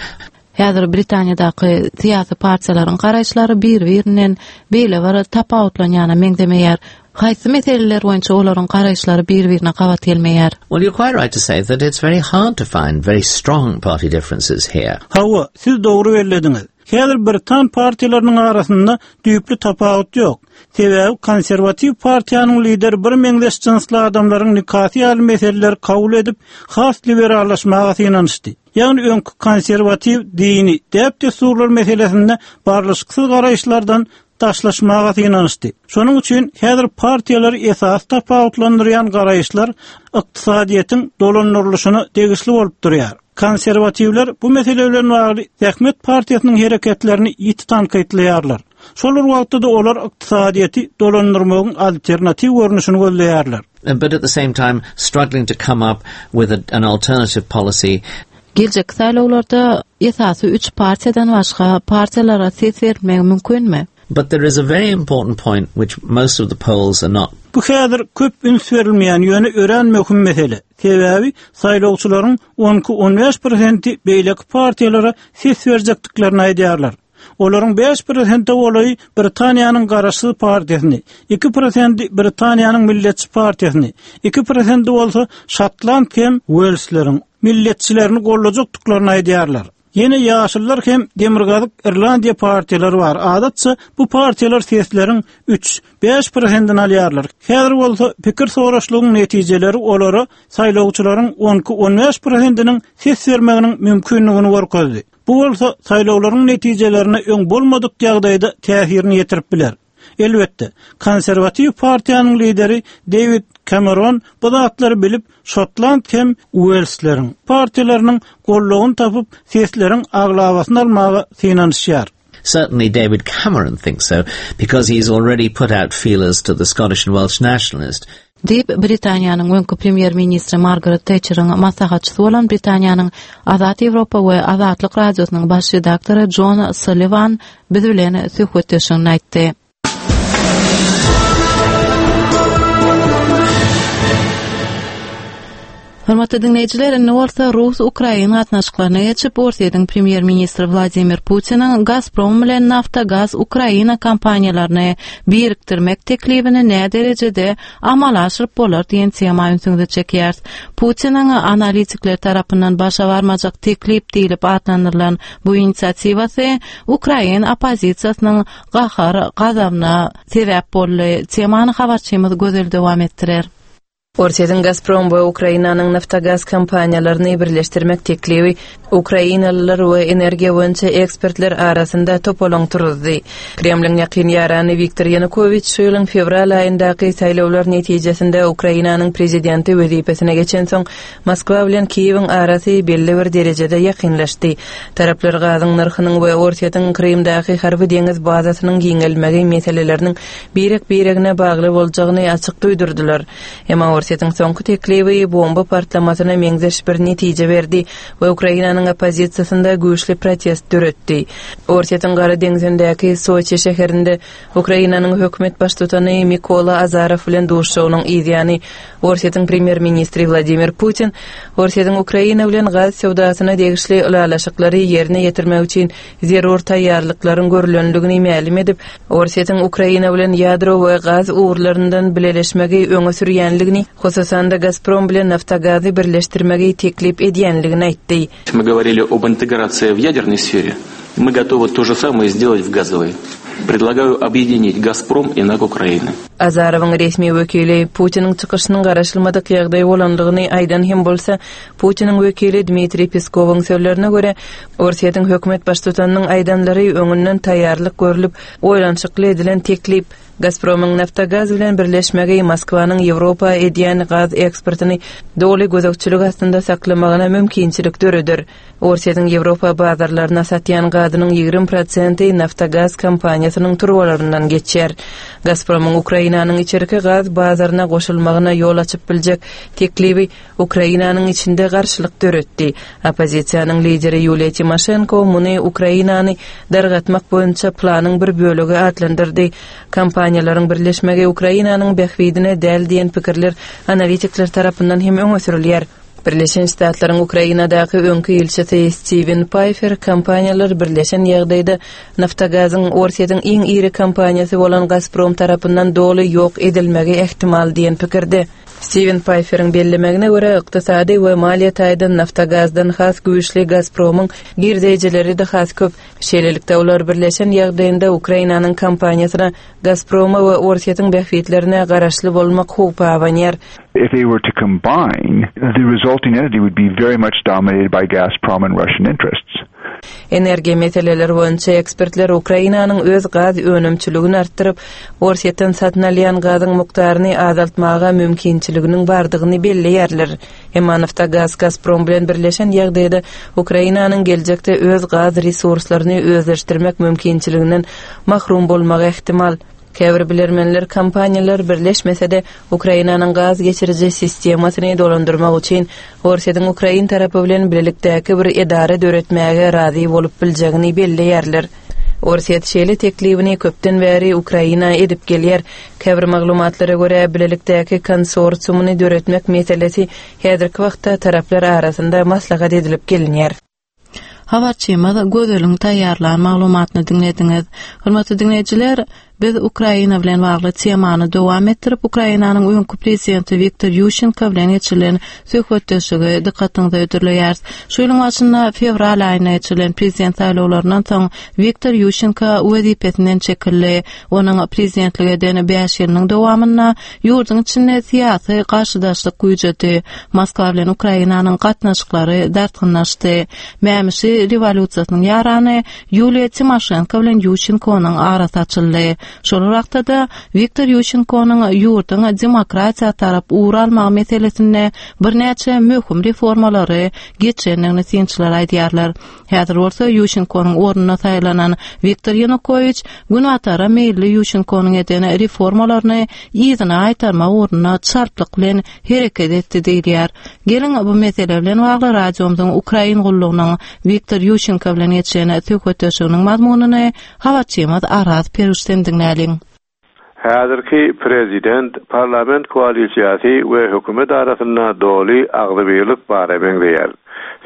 Häzir Britaniýadaky syýasy partiýalaryň garaýyşlary bir-birinden beýle bir tapawutlanýana meňzemeýär. Haýsy meseleler boýunça olaryň garaýyşlary bir-birine gabat gelmeýär? Well, you're quite right to say that it's very hard to find very strong party differences here. Hawa, siz dogry bellediňiz. Häzir britan partiýalarynyň arasynda düýpli tapawut ýok. Sebäbi konserwatiw partiýanyň lideri birmeňzeş jynsly adamlaryň nikasy ýaly meseleleri kabul edip, has liberallaşmaga synanyşdy. Ýagny öňki konserwatiw dini däp-dessurlar meselesinde barlyşyksyz garaýyşlardan daşlaşmaga synanyşdy. Şonuň üçin häzir partiýalary esasy tapawutlandyrýan garaýyşlar ykdysadyýetiň dolandyrylyşyna degişli bolup durýar. Konserwatiwler bu mesele bilen bagly Zähmet partiýasynyň hereketlerini ýiti tankytlaýarlar. Şol bir wagtda-da olar ykdysadyýeti dolandyrmagyň alternatiw görnüşini gözleýärler. But at the same time struggling to come up with a, an alternative policy. Geljekki saýlawlarda esasy üç partiýadan başga partiýalara ses berilmegi mümkinmi? But there is a very important point which most of the polls are not. Bu häzir köp üns berilmeýän, ýöne örän möhüm mesele. Sebäbi saýlawçylaryň on iki-on bäş prosenti beýleki partiýalara ses berjekdiklerini aýdýarlar. Olaryň bäş prosente golaýy Britaniýanyň Garaşsyz partiýasyny, iki prosenti Britaniýanyň Milletçi partiýasyny, iki prosenti bolsa şotland hem uelsleriň milletçilerini goldajakdyklaryny aýdýarlar. Ýene Ýaşyllar hem Demirgazyk Irlandiýa partiýalary bar. Adatça, bu partiýalar sesleriň üç, bäş prosentini alýarlar. Häzir bolsa pikir soraşlygyň netijeleri olara saýlawçylaryň on iki-on bäş prosentiniň ses bermeginiň mümkindigini görkezdi. Bu bolsa saýlawlaryň netijelerine öň bolmadyk ýagdaýda täsirini ýetirip biler. Elbetde, Konserwatiw partiýanyň lideri Dewid Kemeron bu zatlary bilip, şotland hem uelsleriň partiýalarynyň goldawyny tapyp, sesleriň aglabasyny almaga synanyşýar. Certainly David Cameron thinks so, because he's already put out feelers to the Scottish and Welsh nationalists. Diýip, Britaniýanyň öňki premýer-ministri Margaret Tetçeriň maslahatçysy bolan Britaniýanyň Azat Ýewropa we Azatlyk Radiosynyň baş redaktory Jon Sulliwan biz bilen söhbetdeşliginde aýtdy. Hormatly diňleýjiler, indi bolsa rus-ukrain gatnaşyklaryna geçip, Orsýetiň premýer-ministri Wladimir Putiniň Gazprom bilen Naftogaz Ukraina kompaniýalaryny birikdirmek teklibini näderejede amala aşyryp bolar diýen tema ünsüňizi çekýäris. Putiniň analitikler tarapyndan başa barmajak teklip diýlip atlandyrylan bu inisiatiwasy ukrain oppozisiýasynyň gahar gazabyna sebäp boldy. Temany habarçymyz Gözel dowam etdirer. Orsýetiň Gazprom we Ukrainanyň Naftogaz kompaniýalaryny birleşdirmek teklibi ukrainalylar we energiýa boýunça ekspertler arasynda topalaň turuzdy. Kremliň ýakyn ýarany Wiktor Ýanukowiç şu ýylyň fewral aýyndaky saýlawlar netijesinde Ukrainanyň prezidenti wezipesine geçensoň, Moskwa bilen Kiýewiň arasy belli bir derejede ýakynlaşdy. Taraplar gazyň nyrhynyň we Orsýetiň Krymdaky harby-deňiz bazasynyň giňelmegi meseleleriniň birek-biregine bagly boljagyny açyk duýdurdylar. Emma Orsýetiň soňky teklibi bomba partlamasyna meňzeş bir netije berdi we Ukrainanyň oppozisiýasynda güýçli protest döretdi. Orsýetiň Gara deňzindäki Soçi şäherinde Ukrainanyň hökümet baştutany Mikola Azarow bilen duşuşygynyň yzýany Orsýetiň premýer-ministri Wladimir Putin Orsýetiň Ukraina bilen gaz söwdasyna degişli ylalaşyklary ýerine ýetirmek üçin zerur taýýarlyklaryň görlendigini mälim edip, Orsýetiň Ukraina bilen ýadro we gaz ugurlaryndan bileleşmegi öňe sürýänligini, hususan-da Gazprom bilen Naftagazy birleşdirmegi teklip edýänligini aýtdy. Мы говорили об интеграции в ядерной сфере, мы готовы то же самое сделать в газовой. Предлагаю объединить Газпром и НАК Украины. Azarowyň resmi wekili Putiniň çykyşynyň garaşylmadyk ýagdaý bolandygyny aýdan hem bolsa, Putiniň wekili Dmitriý Peskowyň sözlerine görä, Orsýetiň hökümet baştutanynyň aýdanlary öňünden taýýarlyk görlüp, oýlanyşykly edilen teklip. Gazpromyň Naftogaz bilen birleşmegi Moskwanyň Ýewropa edýän gaz eksportyny doly gözegçilik astynda saklamagyna mümkinçilik döreder. Orsýetiň Ýewropa bazarlaryna satýan gazynyň 20 prosenti Naftogaz kompaniýasynyň turbalaryndan geçýär. Gazpromyň Ukrainanyň içerki gaz bazaryna goşulmagyna ýol açyp biljek teklibi Ukrainanyň içinde garşylyk döretdi. Oppozisiýanyň lideri Ýuliýa Timoşenko muny Ukrainany dargatmak boýunça planyň bir bölegi atlandyrdy. Kompaniýalaryň birleşmegi Ukrainanyň bähbidine däl diýen pikirler analitikler tarapyndan hem öňe sürülýär. Birleşen Ştatlaryň Ukrainadaky öňki ilçisi Stiwen Paýfer kompaniýalar birleşen ýagdaýda Naftogazyň Orsýetiň iň iri kompaniýasy bolan Gazprom tarapyndan doly ýok edilmegi ähtimal diýen pikirde. Stiwen Paýferiň bellemegine görä, ykdysady we maliýe taýdan Naftogazdan has güýçli Gazpromyň girdeýjileri-de has köp. Şeýlelikde, olar birleşen ýagdaýynda Ukrainanyň kompaniýasyna Gazproma we Orsýetiň bähbitlerine garaşly bolmak howpy abanýar. If they were to combine, the resulting entity would be very much dominated by Gazprom and Russian interests. Energiýa meseleleri boýunça ekspertler Ukrainanyň öz gaz önümçiligini artdyryp, Orsýetden satyn alýan gazyň mukdaryny azaltmaga mümkinçiliginiň bardygyny belleýärler. Emma Naftogaz Gazprom bilen birleşen ýagdaýda Ukrainanyň geljekde öz gaz resurslaryny özleşdirmek mümkinçiliginden mahrum bolmagy ähtimal. Käbir bilermenler kompaniýalar birleşmese-de, Ukrainanyň gaz geçiriji sistemasyny dolandyrmak üçin Orsýetiň ukrain tarapy bilen bilelikdäki bir edara döretmäge razy bolup biljegini belleýärler. Orsýet şeýle teklibini köpden bäri Ukraina edip gelýär. Käbir maglumatlara görä, bilelikdäki konsorsiumyny döretmek meselesi häzirki wagtda taraplar arasynda maslahat edilip gelinýär. Habarçymyz Gözeliň taýýarlan maglumatyny diňlediňiz. Hormatly diňleýjiler, biz Ukraina bilen bagly temany dowam etdirip, Ukrainanyň öňki prezidenti Wiktor Ýuşenko bilen geçirilen söhbetdeşligi dykgatyňyza hödürleýäris. Şu ýylyň başynda fewral aýynda geçirilen prezident saýlawlaryndan soň Wiktor Ýuşenko wezipesinden çekildi. Onuň prezidentlik eden bäş ýylynyň dowamynda ýurduň içinde syýasy garşydaşlyk güýjedi. Moskwa bilen Ukrainanyň gatnaşyklary dartgynlaşdy. Mämişi rewolýusiýasynyň ýarany Ýuliýa Timoşenko bilen Ýuşenkonyň arasy açyldy. Şol bir wagtda-da, Wiktor Ýuşenkonyň ýurduň demokratiýa tarap ugur almagy meselesinde birnäçe möhüm reformalary geçirendigini synçylar aýdýarlar. Häzir bolsa Ýuşenkonyň ornuna saýlanan Wiktor Ýanukowiç Günbatara meýilli Ýuşenkonyň eden reformalaryny yzyna gaýtarmak ugrunda çaltlyk bilen hereket etdi diýilýär. Geliň, bu mesele bilen bagly radiomyzyň Ukrain gullugynyň Wiktor Ýuşenko bilen geçiren söhbetdeşliginiň mazmunyny habarçymyz Araz Peruşden diňläliň. Häzirki prezident, parlament koalisiýasy we hökümet arasynda doly agzybirlik bara meňzeýär.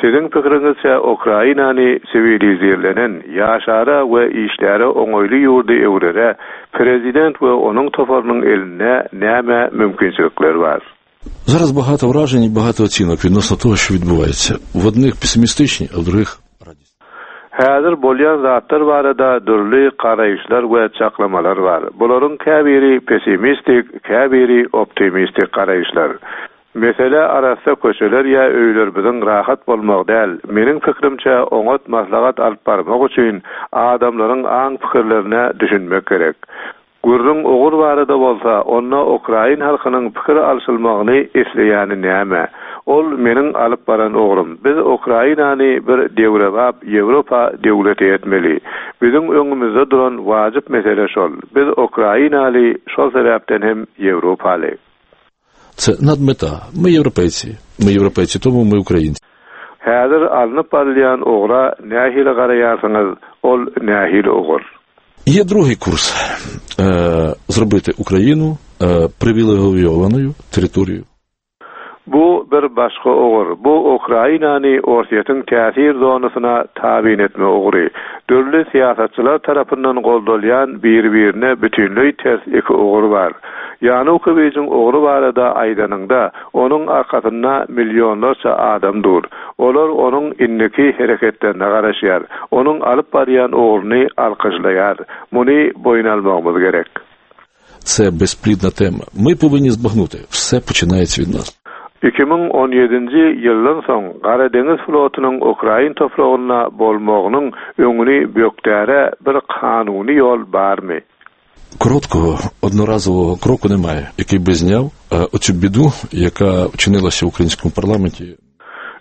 Siziň pikiriňizçe Ukrainany siwilizirlenen, ýaşara we işläre oňaýly ýurda öwrere prezident we onuň toparynyň elinde näme mümkinçilikler bar? Зараз багато вражень і багато оцінок відносно того, що відбувається. В одних песимістичні, а в других Häzir bolýan zatlar barada dürli garaýyşlar we çaklamalar bar. Bularyň käbiri pessimistik, käbiri optimistik garaýyşlar. Mesele arassa köçeler ýa öýlerimiziň rahat bolmagy däl. Meniň pikrimçe oňat maslahat alyp barmak üçin adamlaryň aň-pikirlerine düşünmek gerek. Gürrüň ugur barada bolsa, onda ukrain halkynyň pikir alşylmagyny isleýäni näme? Ol meniň alyp baran ugrum. Biz Ukrainany bir döwrebap Ýewropa döwleti etmeli. Biziň öňümizde duran wajyp mesele şol. Biz ukrainaly, şol sebäpden hem ýewropaly. Це надмета. Мы європейці. Ми європейці, тому ми українці. Häzir alnyp barylýan ugra nähili garaýarsyňyz, ol nähili ugur? Є другий курс зробити Україну привілейованою територією. Bu bir başga ugur. Bu Ukrainany Orsýetiň täsir zonasyna tabyn etme ugry. Dürli syýasatçylar tarapyndan goldalýan biri-birine bütinleý ters iki ugur bar. Ýanukowiçiň ugry barada aýdanyňda, onuň arkasynda millionlarça adam dur. Olar onuň indiki hereketlerine garaşýar, onuň alyp barýan ugruny alkyşlaýar. Muny boýun almagymyz gerek. Це безплідна тема. Ми повинні збагнути, все починається від нас. 2017-nji ýyldan soň Gara deňiz flotunyň ukrain topragynda bolmagynyň öňüni bökdäre bir kanuny ýol barmy? Короткого одноразового кроку немає, який би зняв оцю біду, яка вчинилася в українському парламенті.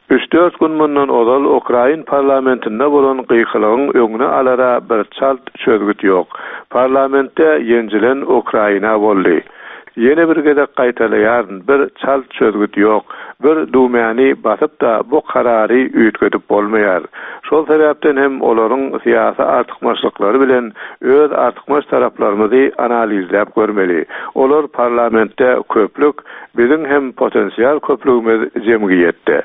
Üç-dört gün mundan ozal ukrain parlamentinde bolan gykylygyň öňüni alara bir çalt çözgüt ýok. Parlamentde ýenjilen Ukraina boldy. Ýene bir gezek gaýtalaýaryn, bir çalt çözgüt ýok. Bir düwmäni basyp-da bu karary üýtgedip bolmaýar. Şol sebäpden hem olaryň syýasy artykmaçlyklary bilen öz artykmaç taraplarymyzy analizläp görmeli. Olar parlamentde köplük, biziň hem potensial köplügimiz jemgyýetde.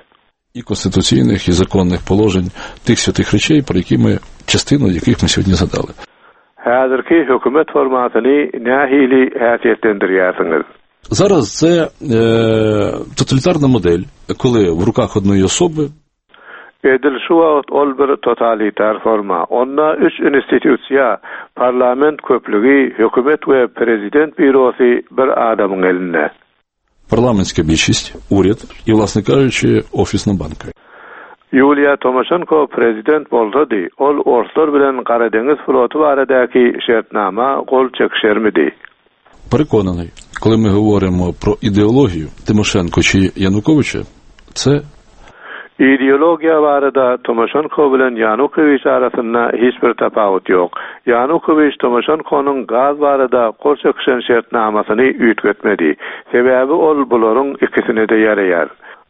і конституційних, і законних положень тих святих речей, про які ми частину яких ми сьогодні згадали. Häzirki hökümet formatyny nähili häsiýetlendirýärsiňiz? Зараз це е, тоталітарна модель, коли в руках одної особи Edil şu wagt ol bir totalitar forma. Onda üç institusiýa, parlament köplügi, hökümet we prezident býurosy bir adamyň elinde. Парламентська більшість, уряд і, власне кажучи, офісна банка. Ýuliýa Tomaşenko prezident bolsady, ol orslar bilen Gara deňiz floty baradaky şertnama gol çekişermidi? Переконаний, коли ми говоримо про ідеологію Тимошенко чи Януковича, це Ideologiýa barada Tomaşenko bilen Ýanukowiç arasynda hiç bir tapawut ýok. Ýanukowiç Tomaşenkonyň gaz barada gol çekişen şertnamasyny üýtgetmedi. Sebäbi ol bularyň ikisine-de ýaraýar.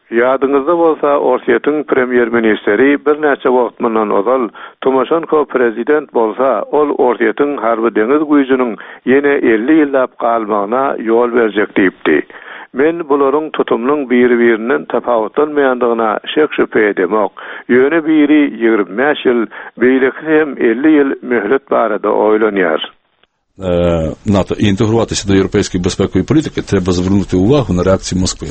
Ýadyňyzda bolsa, Orsýetiň premýer-ministeri birnäçe wagt mundan ozal, Tomaşenko prezident bolsa, ol Orsýetiň harby-deňiz güýjüniň ýene 50 ýyllap galmagyna ýol berjek diýipdi. Men bularyň tutumynyň biri-birinden tapawutlanmaýandygyna şek-şübhe edemok. Ýöne biri 25 ýyl, beýlekisi hem 50 ýyl möhlet barada oýlanýar. НАТО і інтегруватися до європейської безпекової політики, треба звернути увагу на реакцію Москви.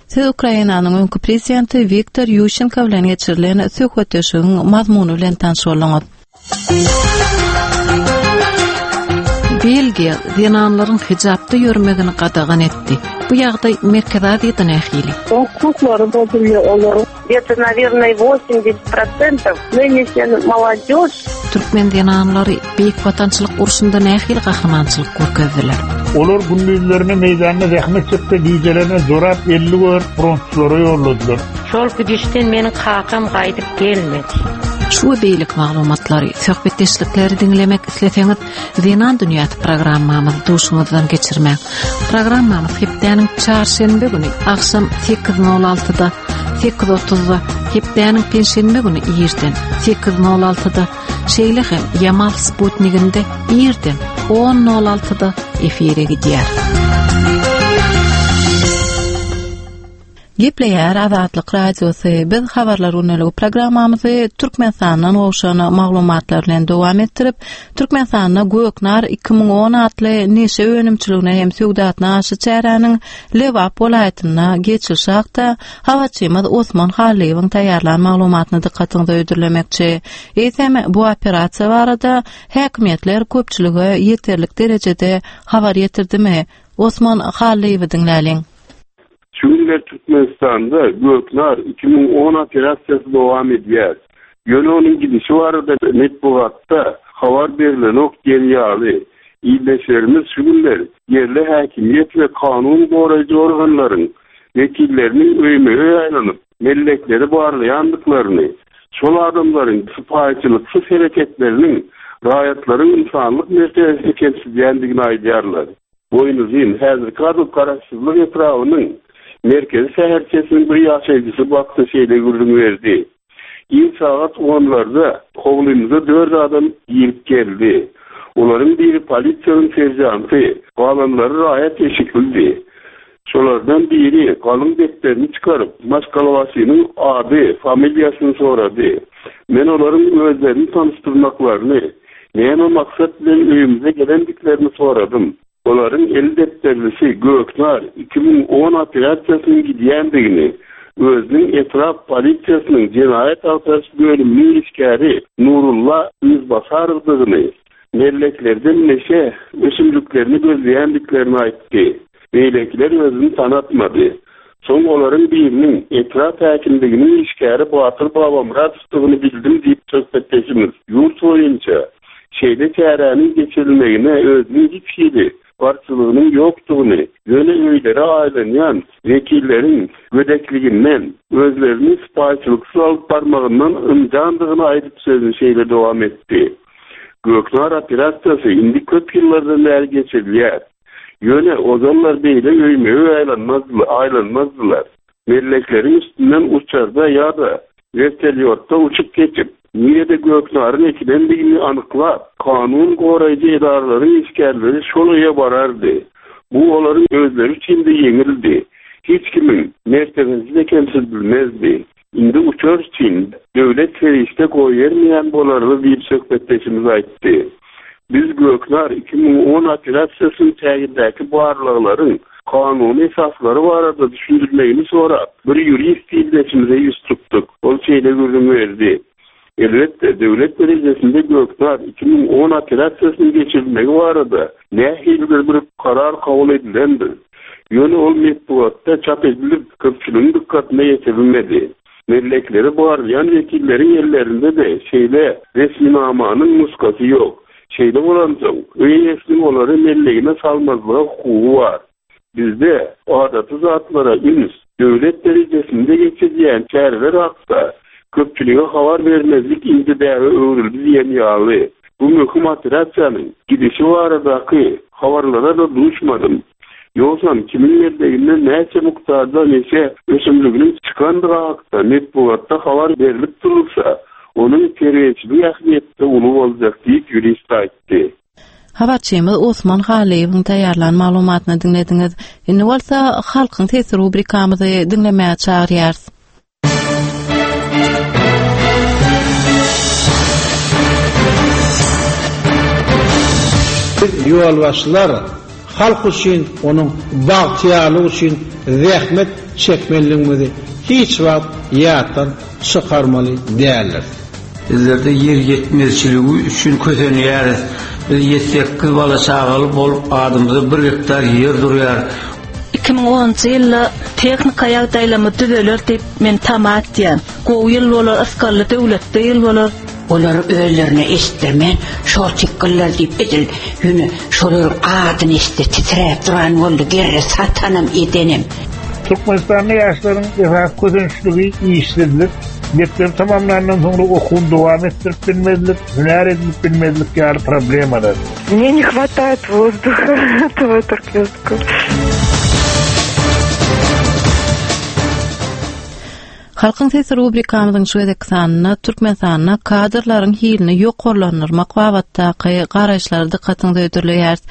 Siz Ukrainanyň öňki prezidenti Wiktor Ýuşenko bilen geçirilen söhbetdeşligiň mazmuny bilen tanyş bolduňyz. Belgiýa zenanlaryň hijapda ýörmegini gadagan etdi. Bu ýagdaý Merkezi Aziýada nähili? Hukuklary bozulýar olaryň. Gde-to, nawernoe, 80 prosentow nynişen molodež. Türkmen zenanlary Beýik Watançylyk urşunda nähili gahrymançylyk görkezdiler? Olar gündizlerine meýdanda zähmet çekse, gijelerine jorap 50 gör frontçulara ýolladylar. Şol gidişden meniň kakam gaýdyp gelmedi. Şu we beýleki maglumatlary, söhbetdeşlikleri diňlemek isleseňiz, Zenan dünýäsi programmamyzy duşuňyzdan geçirmäň. Programmamyz hepdäniň çarşenbe güni agşam 8.06-da, 8.30-da, hepdäniň penşenbe güni irden 8.06-da, şeýle hem Ýamal sputniginde irden 10.06-da efire gidýär. Gepleýär Azatlyk Radiosy. Biz Habarlar gündeligi programmamyzy Türkmenistandan gowşan maglumatlar bilen dowam etdirip, Türkmenistanda Göknar 2010 atly neşe önümçiligine hem söwdasyna garşy çäräniň Lebap welaýatynda geçirilişi hakda habarçymyz Osman Hallyýewiň taýýarlan maglumatyny dykgatyňyza hödürlemekçi. Eýsem, bu operasiýa barada häkimiýetler köpçülige ýeterlik derejede habar ýetirdimi? Osman Hallyýewi diňläliň. Şu günler Türkmenistanda Göknar 2010 operasiýasy dowam edýär. Ýöne onuň gidişi barada metbugatda habar berlenok diýen ýaly. Ildeşlerimiz şu günler ýerli häkimiýet we kanun goraýjy organlaryň wekilleriniň öýme-öý aýlanyp, mellekleri barlaýandyklaryny, şol adamlaryň sypaýyçylyksyz hereketleriniň raýatlaryň ynsanlyk mertebesini kemsidýändigini aýdýarlar. Boýnuzyn, häzirki ady Garaşsyzlyk etrabynyň merkezi şäherçesiniň bir ýaşaýjysy bu hakda şeýle gürrüň berdi, Ir sagat onlarda howlymyza dört adam girip geldi. Olaryň biri polisiýanyň seržanty, galanlary raýat eşiklidi. Şolardan biri galyň depderini çykaryp, maşgalabaşynyň ady, familiýasyny sorady. Men olaryň özlerini tanyşdyrmaklaryny, näme maksat bilen öýümize gelendiklerini soradym. Olaryň eli depderlisi Göknar 2010 operasiýasynyň gidýändigini, özüniň etrap polisiýasynyň jenaýat agtaryş bölüminiň işgäri Nurulla Yzbasarowdygyny, melleklerden neşe ösümliklerini gözleýändiklerini aýtdy. Beýlekiler özüni tanatmady. Soň olaryň biriniň etrap häkimliginiň işgäri Batyr Babamyradowdygyny bildim diýip söhbetdeşimiz ýurt boýunça şeýle çäräniň geçirilmegine özüniň hiç hili garşylygynyň ýokdugyny, ýöne öýlere aýlanýan wekilleriň gödekliginden, özlerini sypaýyçylyksyz alyp barmagyndan ynjandygyny aýdyp sözüni şeýle dowam etdi, Göknar operasiýasy indi köp ýyllardan bäri geçirilýär. Ýöne ozallar beýle öýme-öý aýlanmazdylar. Mellekleriň üstünden uçarda ýa-da wertolýotda uçup geçip, nirede göknaryň ekilendigini anyklap, kanun goraýjy edaralaryň işgärleri şol öýe barardy. Bu olaryň özleri üçin-de ýeňildi. Hiç kimiň mertebesi-de kemsidilmezdi. Indi uçar üçin döwlet serişde goýbermeýän bolarly diýip söhbetdeşimiz aýtdy. Biz Göknar 2010 operasiýasynyň çägindäki barlaglaryň kanuny esaslary barada düşündirmegini sorap, bir ýurist ildeşimize ýüz tutduk. Ol şeýle gürrüň berdi, Elbetde, döwlet derejesinde Göknar 2010 operasiýasynyň geçirilmegi barada nähilidir bir karar kabul edilendir. Ýöne ol metbugatda çap edilip, köpçüligiň dykgatyna ýetirilmedi. Mellekleri barlaýan wekilleriň ellerinde-de şeýle resminamanyň nusgasy ýok. Şeýle bolansoň, öý eýesiniň olary mellegine salmazlyga hukugy bar. Bizde adaty zatlara üns, döwlet derejesinde geçirilýän çäreler hakda köpçülige habar bermezlik indi däbe öwrüldi diýen ýaly. Bu möhüm operasiýanyň gidişi baradaky habarlara-da duşmadym. Ýogsam kimiň melleginde näçe mukdarda neşe ösümliginiň çykandygy hakda metbugatda habar berlip durulsa, onuň terbiýeçilik ähmiýeti-de uly boljak diýip, ýurist aýtdy. Habarçymyz Osman Hallyýewiň taýýarlan maglumatyny diňlediňiz. Indi bolsa Halkyň sesi rubrikamyzy diňlemäge çagyrýarys. Biz ýolbaşçylar halk üçin, onuň bagtyýarlygy üçin zähmet çekmelidigimizi hiç wagt ýatdan çykarmaly däldiris. Bizlerde ýer ýetmezçiligi üçin kösenýäris. Biz ýedi-sekiz bala-çagaly bolup, adymyza bir gektar ýer durýar. 2010-njy ýylda tehnika ýagdaýlarymyz düzeler diýip men tama etýän. Gowy ýyl bolar, ysgally döwletli ýyl bolar. Olary özlerine eşitdirmän, şortikgyllar diýip edil ýöne şolaryň adyny eşitse titräp duran boldy gerre satanam edenem. Türkmenistanda ýaşlaryň esasy kösençligi işsizlik, mekdebi tamamlandan soňra okuwyny dowam etdirip bilmezlik, hünär edinip bilmezlik ýaly problemalar. Мне не хватает воздуха этого Halkyň sesi rubrikamyzyň şu gezekki sanynda Türkmenistanda kadrlaryň hilini ýokarlandyrmak babatdaky garaýyşlary dykgatyňyza hödürleýäris.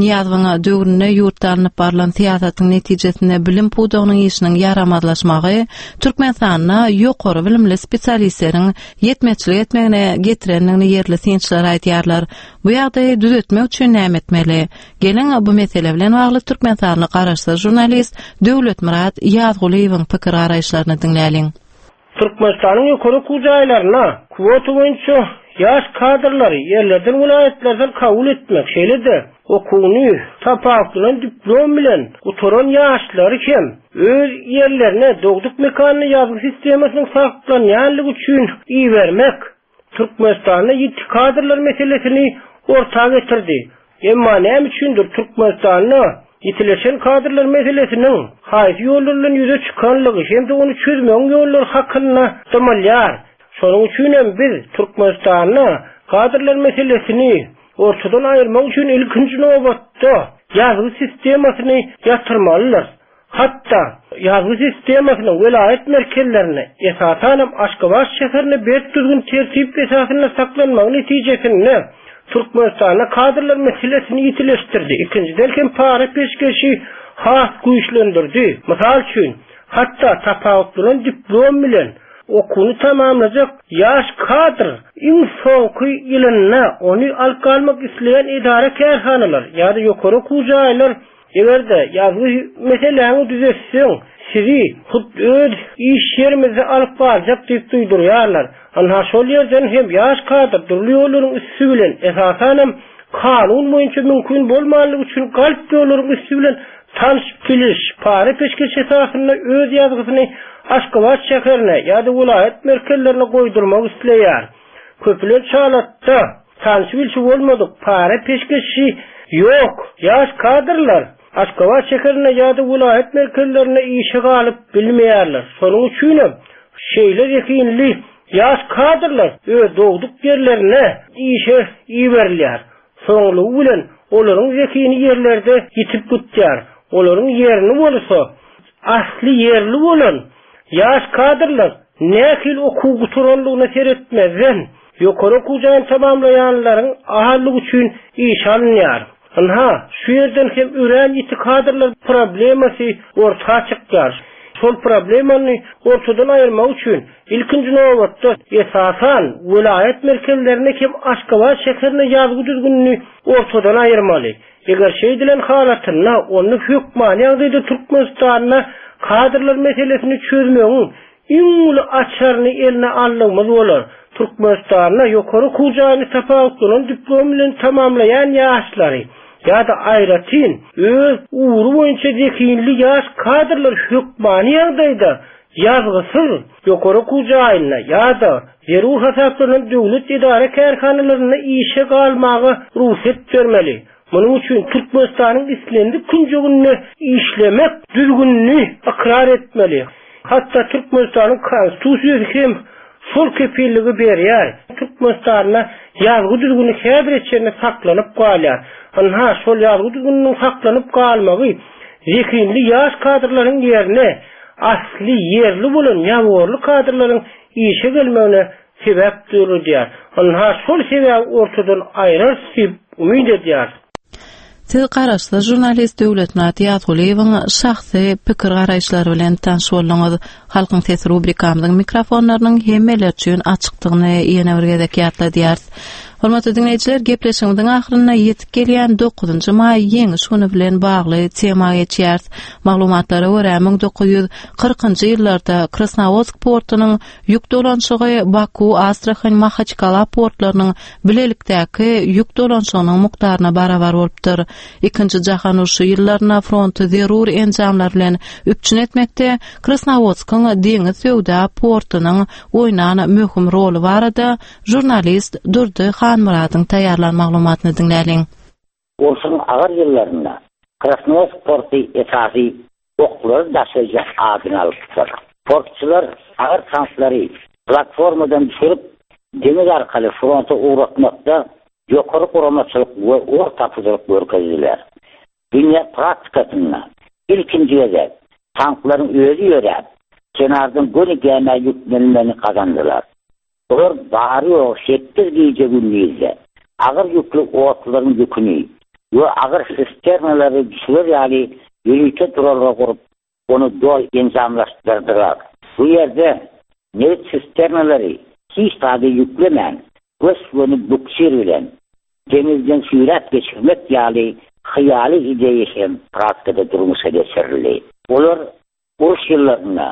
Nyýazowyň döwründe ýurtda alnyp barlan syýasatyň netijesinde bilim pudagynyň işiniň ýaramazlaşmagy Türkmenistanda ýokary bilimli spesialistleriň ýetmezçilik etmegine getirendigini ýerli synçylar aýdýarlar. Bu ýagdaýy düzetmek üçin näme etmeli? Geliň, bu mesele bilen bagly türkmenistanly garaşsyz žurnalist Döwletmyrat Ýazgulyýewiň pikir-garaýyşlaryny diňläliň. Türkmenistanyň ýokary okuw jaýlaryna kwota boýunça ýaş kadrlary ýerlerden welaýatlardan kabul etmek, şeýle-de okuwyny tapawutlanan diplom bilen gutaran ýaşlary hem öz ýerlerine, dogduk mekanyna ýazgy sistemasynyň saklanýanlygy üçin ibermek Türkmenistanda ýiti kadrlar meselesini orta getirdi. Emma näme üçindir Türkmenistanda ýitileşen kadrlar meselesiniň haýsy ýollar bilen ýüze çykanlygy hem-de ony çözmegiň ýollary hakynda dymylýar. Şonuň üçinem biz Türkmenistanda kadrlar meselesini ortadan aýyrmak üçin ilkinji nobatda ýazgy sistemasyny ýatyrmalydyrys. Hatda, ýazgy sistemasynyň welaýat merkezlerinde, esasanam Aşgabat şäherinde berk düzgün-tertip esasynda saklanmagy netijesinde, Türkmenistanda kadrlar meselesini ýitileşdirdi, ikinjiden hem para-peşgeşi has güýçlendirdi. Mysal üçin, hatda tapawutlanan diplom bilen okuwyny tamamlajak ýaş kadr iň soňky ýylynda ony alyp galmak isleýän edara-kärhanalar ýa-da ýokary okuw jaýlar Eger-de ýazgy meseläňi düzetseň, sizi hut öz iş ýerimizde alyp barjak diýip duýdurýarlar. Ynha, şol ýerden hem ýaş kadr dürli ýollaryň üsti bilen, esasanam, kanun boýunça mümkin bolmanlygy üçin galp ýollaryň üsti bilen tanyş-biliş, para-peşgeş esasynda öz ýazgysyny Aşgabat şäherine ýa-da welaýat merkezlerine goýdurmak isleýär. Köplenç halatda, Tanyş-bilşi bolmadyk, para-peşgeşi ýok ýaş kadrlar Aşgabat şäherinde ýa-da welaýat merkezlerinde işe galyp bilmeýärler. Şonuň üçinem şeýle zehinli ýaş kadrlar öz dogduk ýerlerine işe iberilýär. Soňlugy bilen. Olaryň zehini ýerlerde ýitip gitýär. Olaryň ýerini bolsa asly ýerli bolan ýaş kadrlar nähili okuw gutaranlygyna seretmezden, ýokary okuw jaýyny tamamlaýanlaryň azlygy üçin işe alynýar. Ynha, şu ýerden hem örän ýiti kadrlar problemasy orta çykýar. Şol problemany ortadan aýyrmak üçin, ilkinji nobatda, esasan, welaýat merkezlerinde hem Aşgabat şäherinde ýazgy düzgünini ortadan aýyrmaly. Eger şeýdilen halatynda, onda hökmany ýagdaýda Türkmenistanda kadrlar meselesini çözmegiň iň uly açaryny eline aldygymyz bolar. Türkmenistanda ýokary okuw jaýyny tapawutlanan diplom bilen tamamlaýan ýaşlary ýa-da aýratyn öz ugry boýunça zehinli ýaş kadrlar hökmany ýagdaýda ýazgysyz ýokary okuw jaýynda ýa-da zerur hasaplanan döwlet edara-kärhanalarynda işe galmaga rugsat bermeli. Munuň üçin Türkmenistanyň islendik künjeginde işlemek düzgünini ykrar etmeli. Hatda Türkmenistanyň Konstitusiýasy hem şol kepilligi berýär. Türkmenistanda ýazgy düzgüni häzire çenli saklanyp galýar. Ynha, şol ýazgy düzgüniniň saklanyp galmagy zehinli ýaş kadrlaryň ýerine asly ýerli bolan ýaworly kadrlaryň işe gelmegine sebäp döredýär. Ynha, şol sebäbi ortadan aýrarys diýip umyt edýäris. Siz garaşsyz žurnalist Döwletmyrat Ýazgulyýewiň şahsy pikir-garaýyşlary bilen tanyş bolduňyz. Halkyň sesi rubrikamyzyň mikrofonlarynyň hemmeler üçin açykdygyny ýene bir gezek ýatladýarys. Hormatly diňleýjiler, gepleşigimiziň ahyrynda ýetip gelýän dokuzynjy maý Ýeňiş güni bilen bagly tema geçýäris. Maglumatlara görä, 1940-njy ýyllarda Krasnowodsk portunyň Ýük dolanyşygy Baku, Astrahan, Mahaçkala portlarynyň bilelikdäki ýük dolanyşygynyň mukdaryna barabar bolupdyr. Ikinji jahan urşy ýyllarynda fronty zerur enjamlar bilen üpjün etmekde Krasnowodskyň deňiz söwda portunyň oýnan möhüm roly barada žurnalist Durdy Hanmyradyň taýýarlan maglumatyny diňläliň. Urşuň agyr ýyllarynda Krasnowodsk porty esasy oklary daşaýjy adyny alypdyr. Portçular agyr tanklary platformadan düşürip, deňiz arkaly fronta ugratmakda ýokary guramaçylyk we ugur tapyjylyk görkezdiler. Dünýä praktikasynda ilkinji gezek tanklaryň özi ýöräp, kenardan göni gämä ýüklenmegini gazandylar. Olar bary-ýogy sekiz gije-gündizde agyr ýükli otlularyň ýüküni we agyr sisternalary düşürer ýaly ýörite duralga gurup, ony doly enjamlaşdyrdylar. Bu ýerde nebit sisternalary hiç zady ýüklemän, gös-göni buksir bilen deňizden süýräp geçirmek ýaly hyýaly ideýa hem praktikada durmuşa geçirildi. Olar Uruş ýyllarynda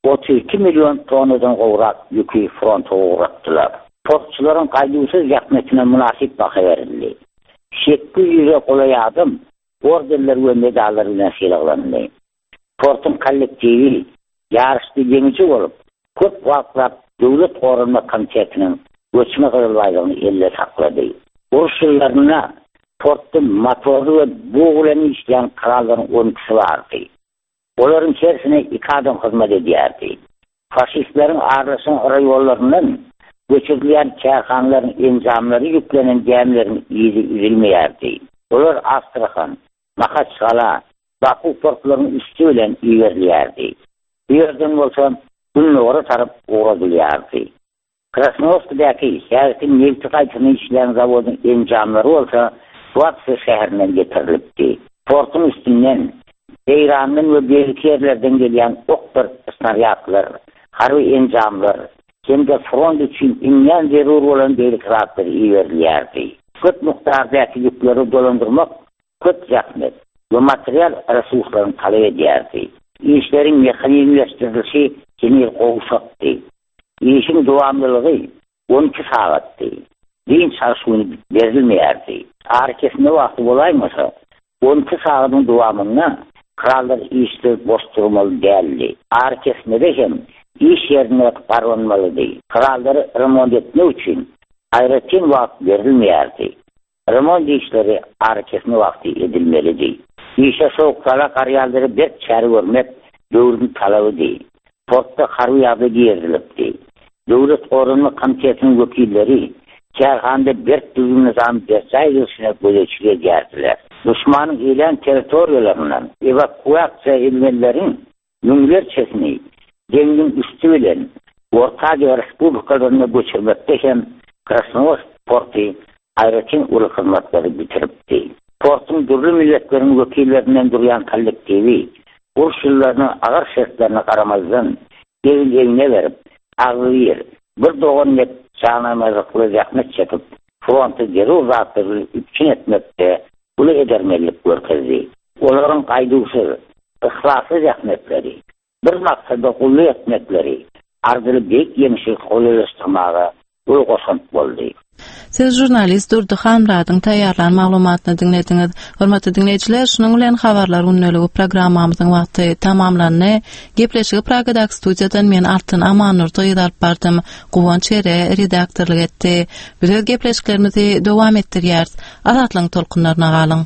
32 million tonnadan gowrak ýüki fronta ugratdylar. Portçularyň gaýduwsyz zähmetine mynasyp baha berildi. 800-e golaý adam ordenler we medallar bilen sylaglandy. Portuň kollektiwi ýaryşda ýeňiji bolup, köp wagtlap Döwlet goranmak komitetiniň göçme gyzyl baýdagyny elde saklady. Uruş ýyllarynda portda motorly we bug bilen işleýän kranlaryň on ikisi bardy. Olaryň hersine iki adam hyzmat edýärdi. Faşistleriň aralaşan raýonlaryndan göçürilýän kärhanalaryň enjamlary ýüklenen gämileriň yzy üzülmeýärdi. Olar Astrahan, Mahaçgala, Baku portlarynyň üsti bilen iberilýärdi. Bu ýerden bolsa Gündogara tarap ugradylýardy. Krasnowskidäki häzirki nebti gaýtadan işleýän zawodyň enjamlary bolsa Tuapse şäherinden getirilipdi. Portuň üstünden Eýrandan we beýleki ýerlerden gelýän okdyr snarýadlar, harby enjamlar hem-de front üçin iňňän zerur bolan beýleki zatlar iberilýärdi. Köp mukdardaky ýükleri dolandyrmak köp zähmet we material resurslaryny talap edýärdi. Işleriň mehanizmleşdirilişi heniz gowşakdy. Işiň dowamlylygy 12 sagatdy. Dynç alyş güni berilmeýärdi. Arakesme wagty bolaýmasa, 12 sagadyň dowamynda krallar işsiz boş durmaly däldi. Arakesmede hem iş ýerinde garbanmalydy. Krallary remont etmek üçin aýratyn wagt berilmeýärdi. Remont işleri arakesme wagty edilmelidi. Işe sowuk-sala garýanlara berk çäre görmek döwrüň talabydy. Portda harby ýagdaý girizilipdi. Döwlet goranmak komitetiniň wekilleri. Kärhanada berk düzgün-nyzam berjaý edilişine gözegçilik edýärdiler. Duşmanyň eýlän territoriýalaryndan ewakuasiýa edilenleriň müňlerçesini deňziň üsti bilen Orta Aziýa respublikalaryna göçürmekde hem Krasnowodsk porty aýratyn uly hyzmatlary bitiripdi. Portuň dürli milletleriň wekillerinden durýan kollektiwi uruş ýyllarynyň agyr şertlerine garamazdan, egin-egne berip, agzybir, bir dogan dek janaýamazlykly zähmet çekip, fronty zerur zatlar bilen üpjün etmekde uly edermenlik görkezdi. Olaryň gaýduwsyz, yhlasly zähmetleri, bir maksada gulluk etmekleri arzyly beýik ýeňşi golaýlaşdyrmaga uly goşant boldy. Siz žurnalist Durdy Hanmyradyň taýýarlan maglumatyny diňlediňiz. Hormatly diňleýjiler, şunuň bilen Habarlar gündeligi programmamyzyň wagty tamamlandy. Gepleşigi Pragadaky studiýadan men Altyn Amannurdy gyzy alyp bardym. Guwanç Ere redaktorlyk etdi. Biz öz gepleşiklerimizi dowam etdirýäris. Azatlygyň tolkunlaryna galyň!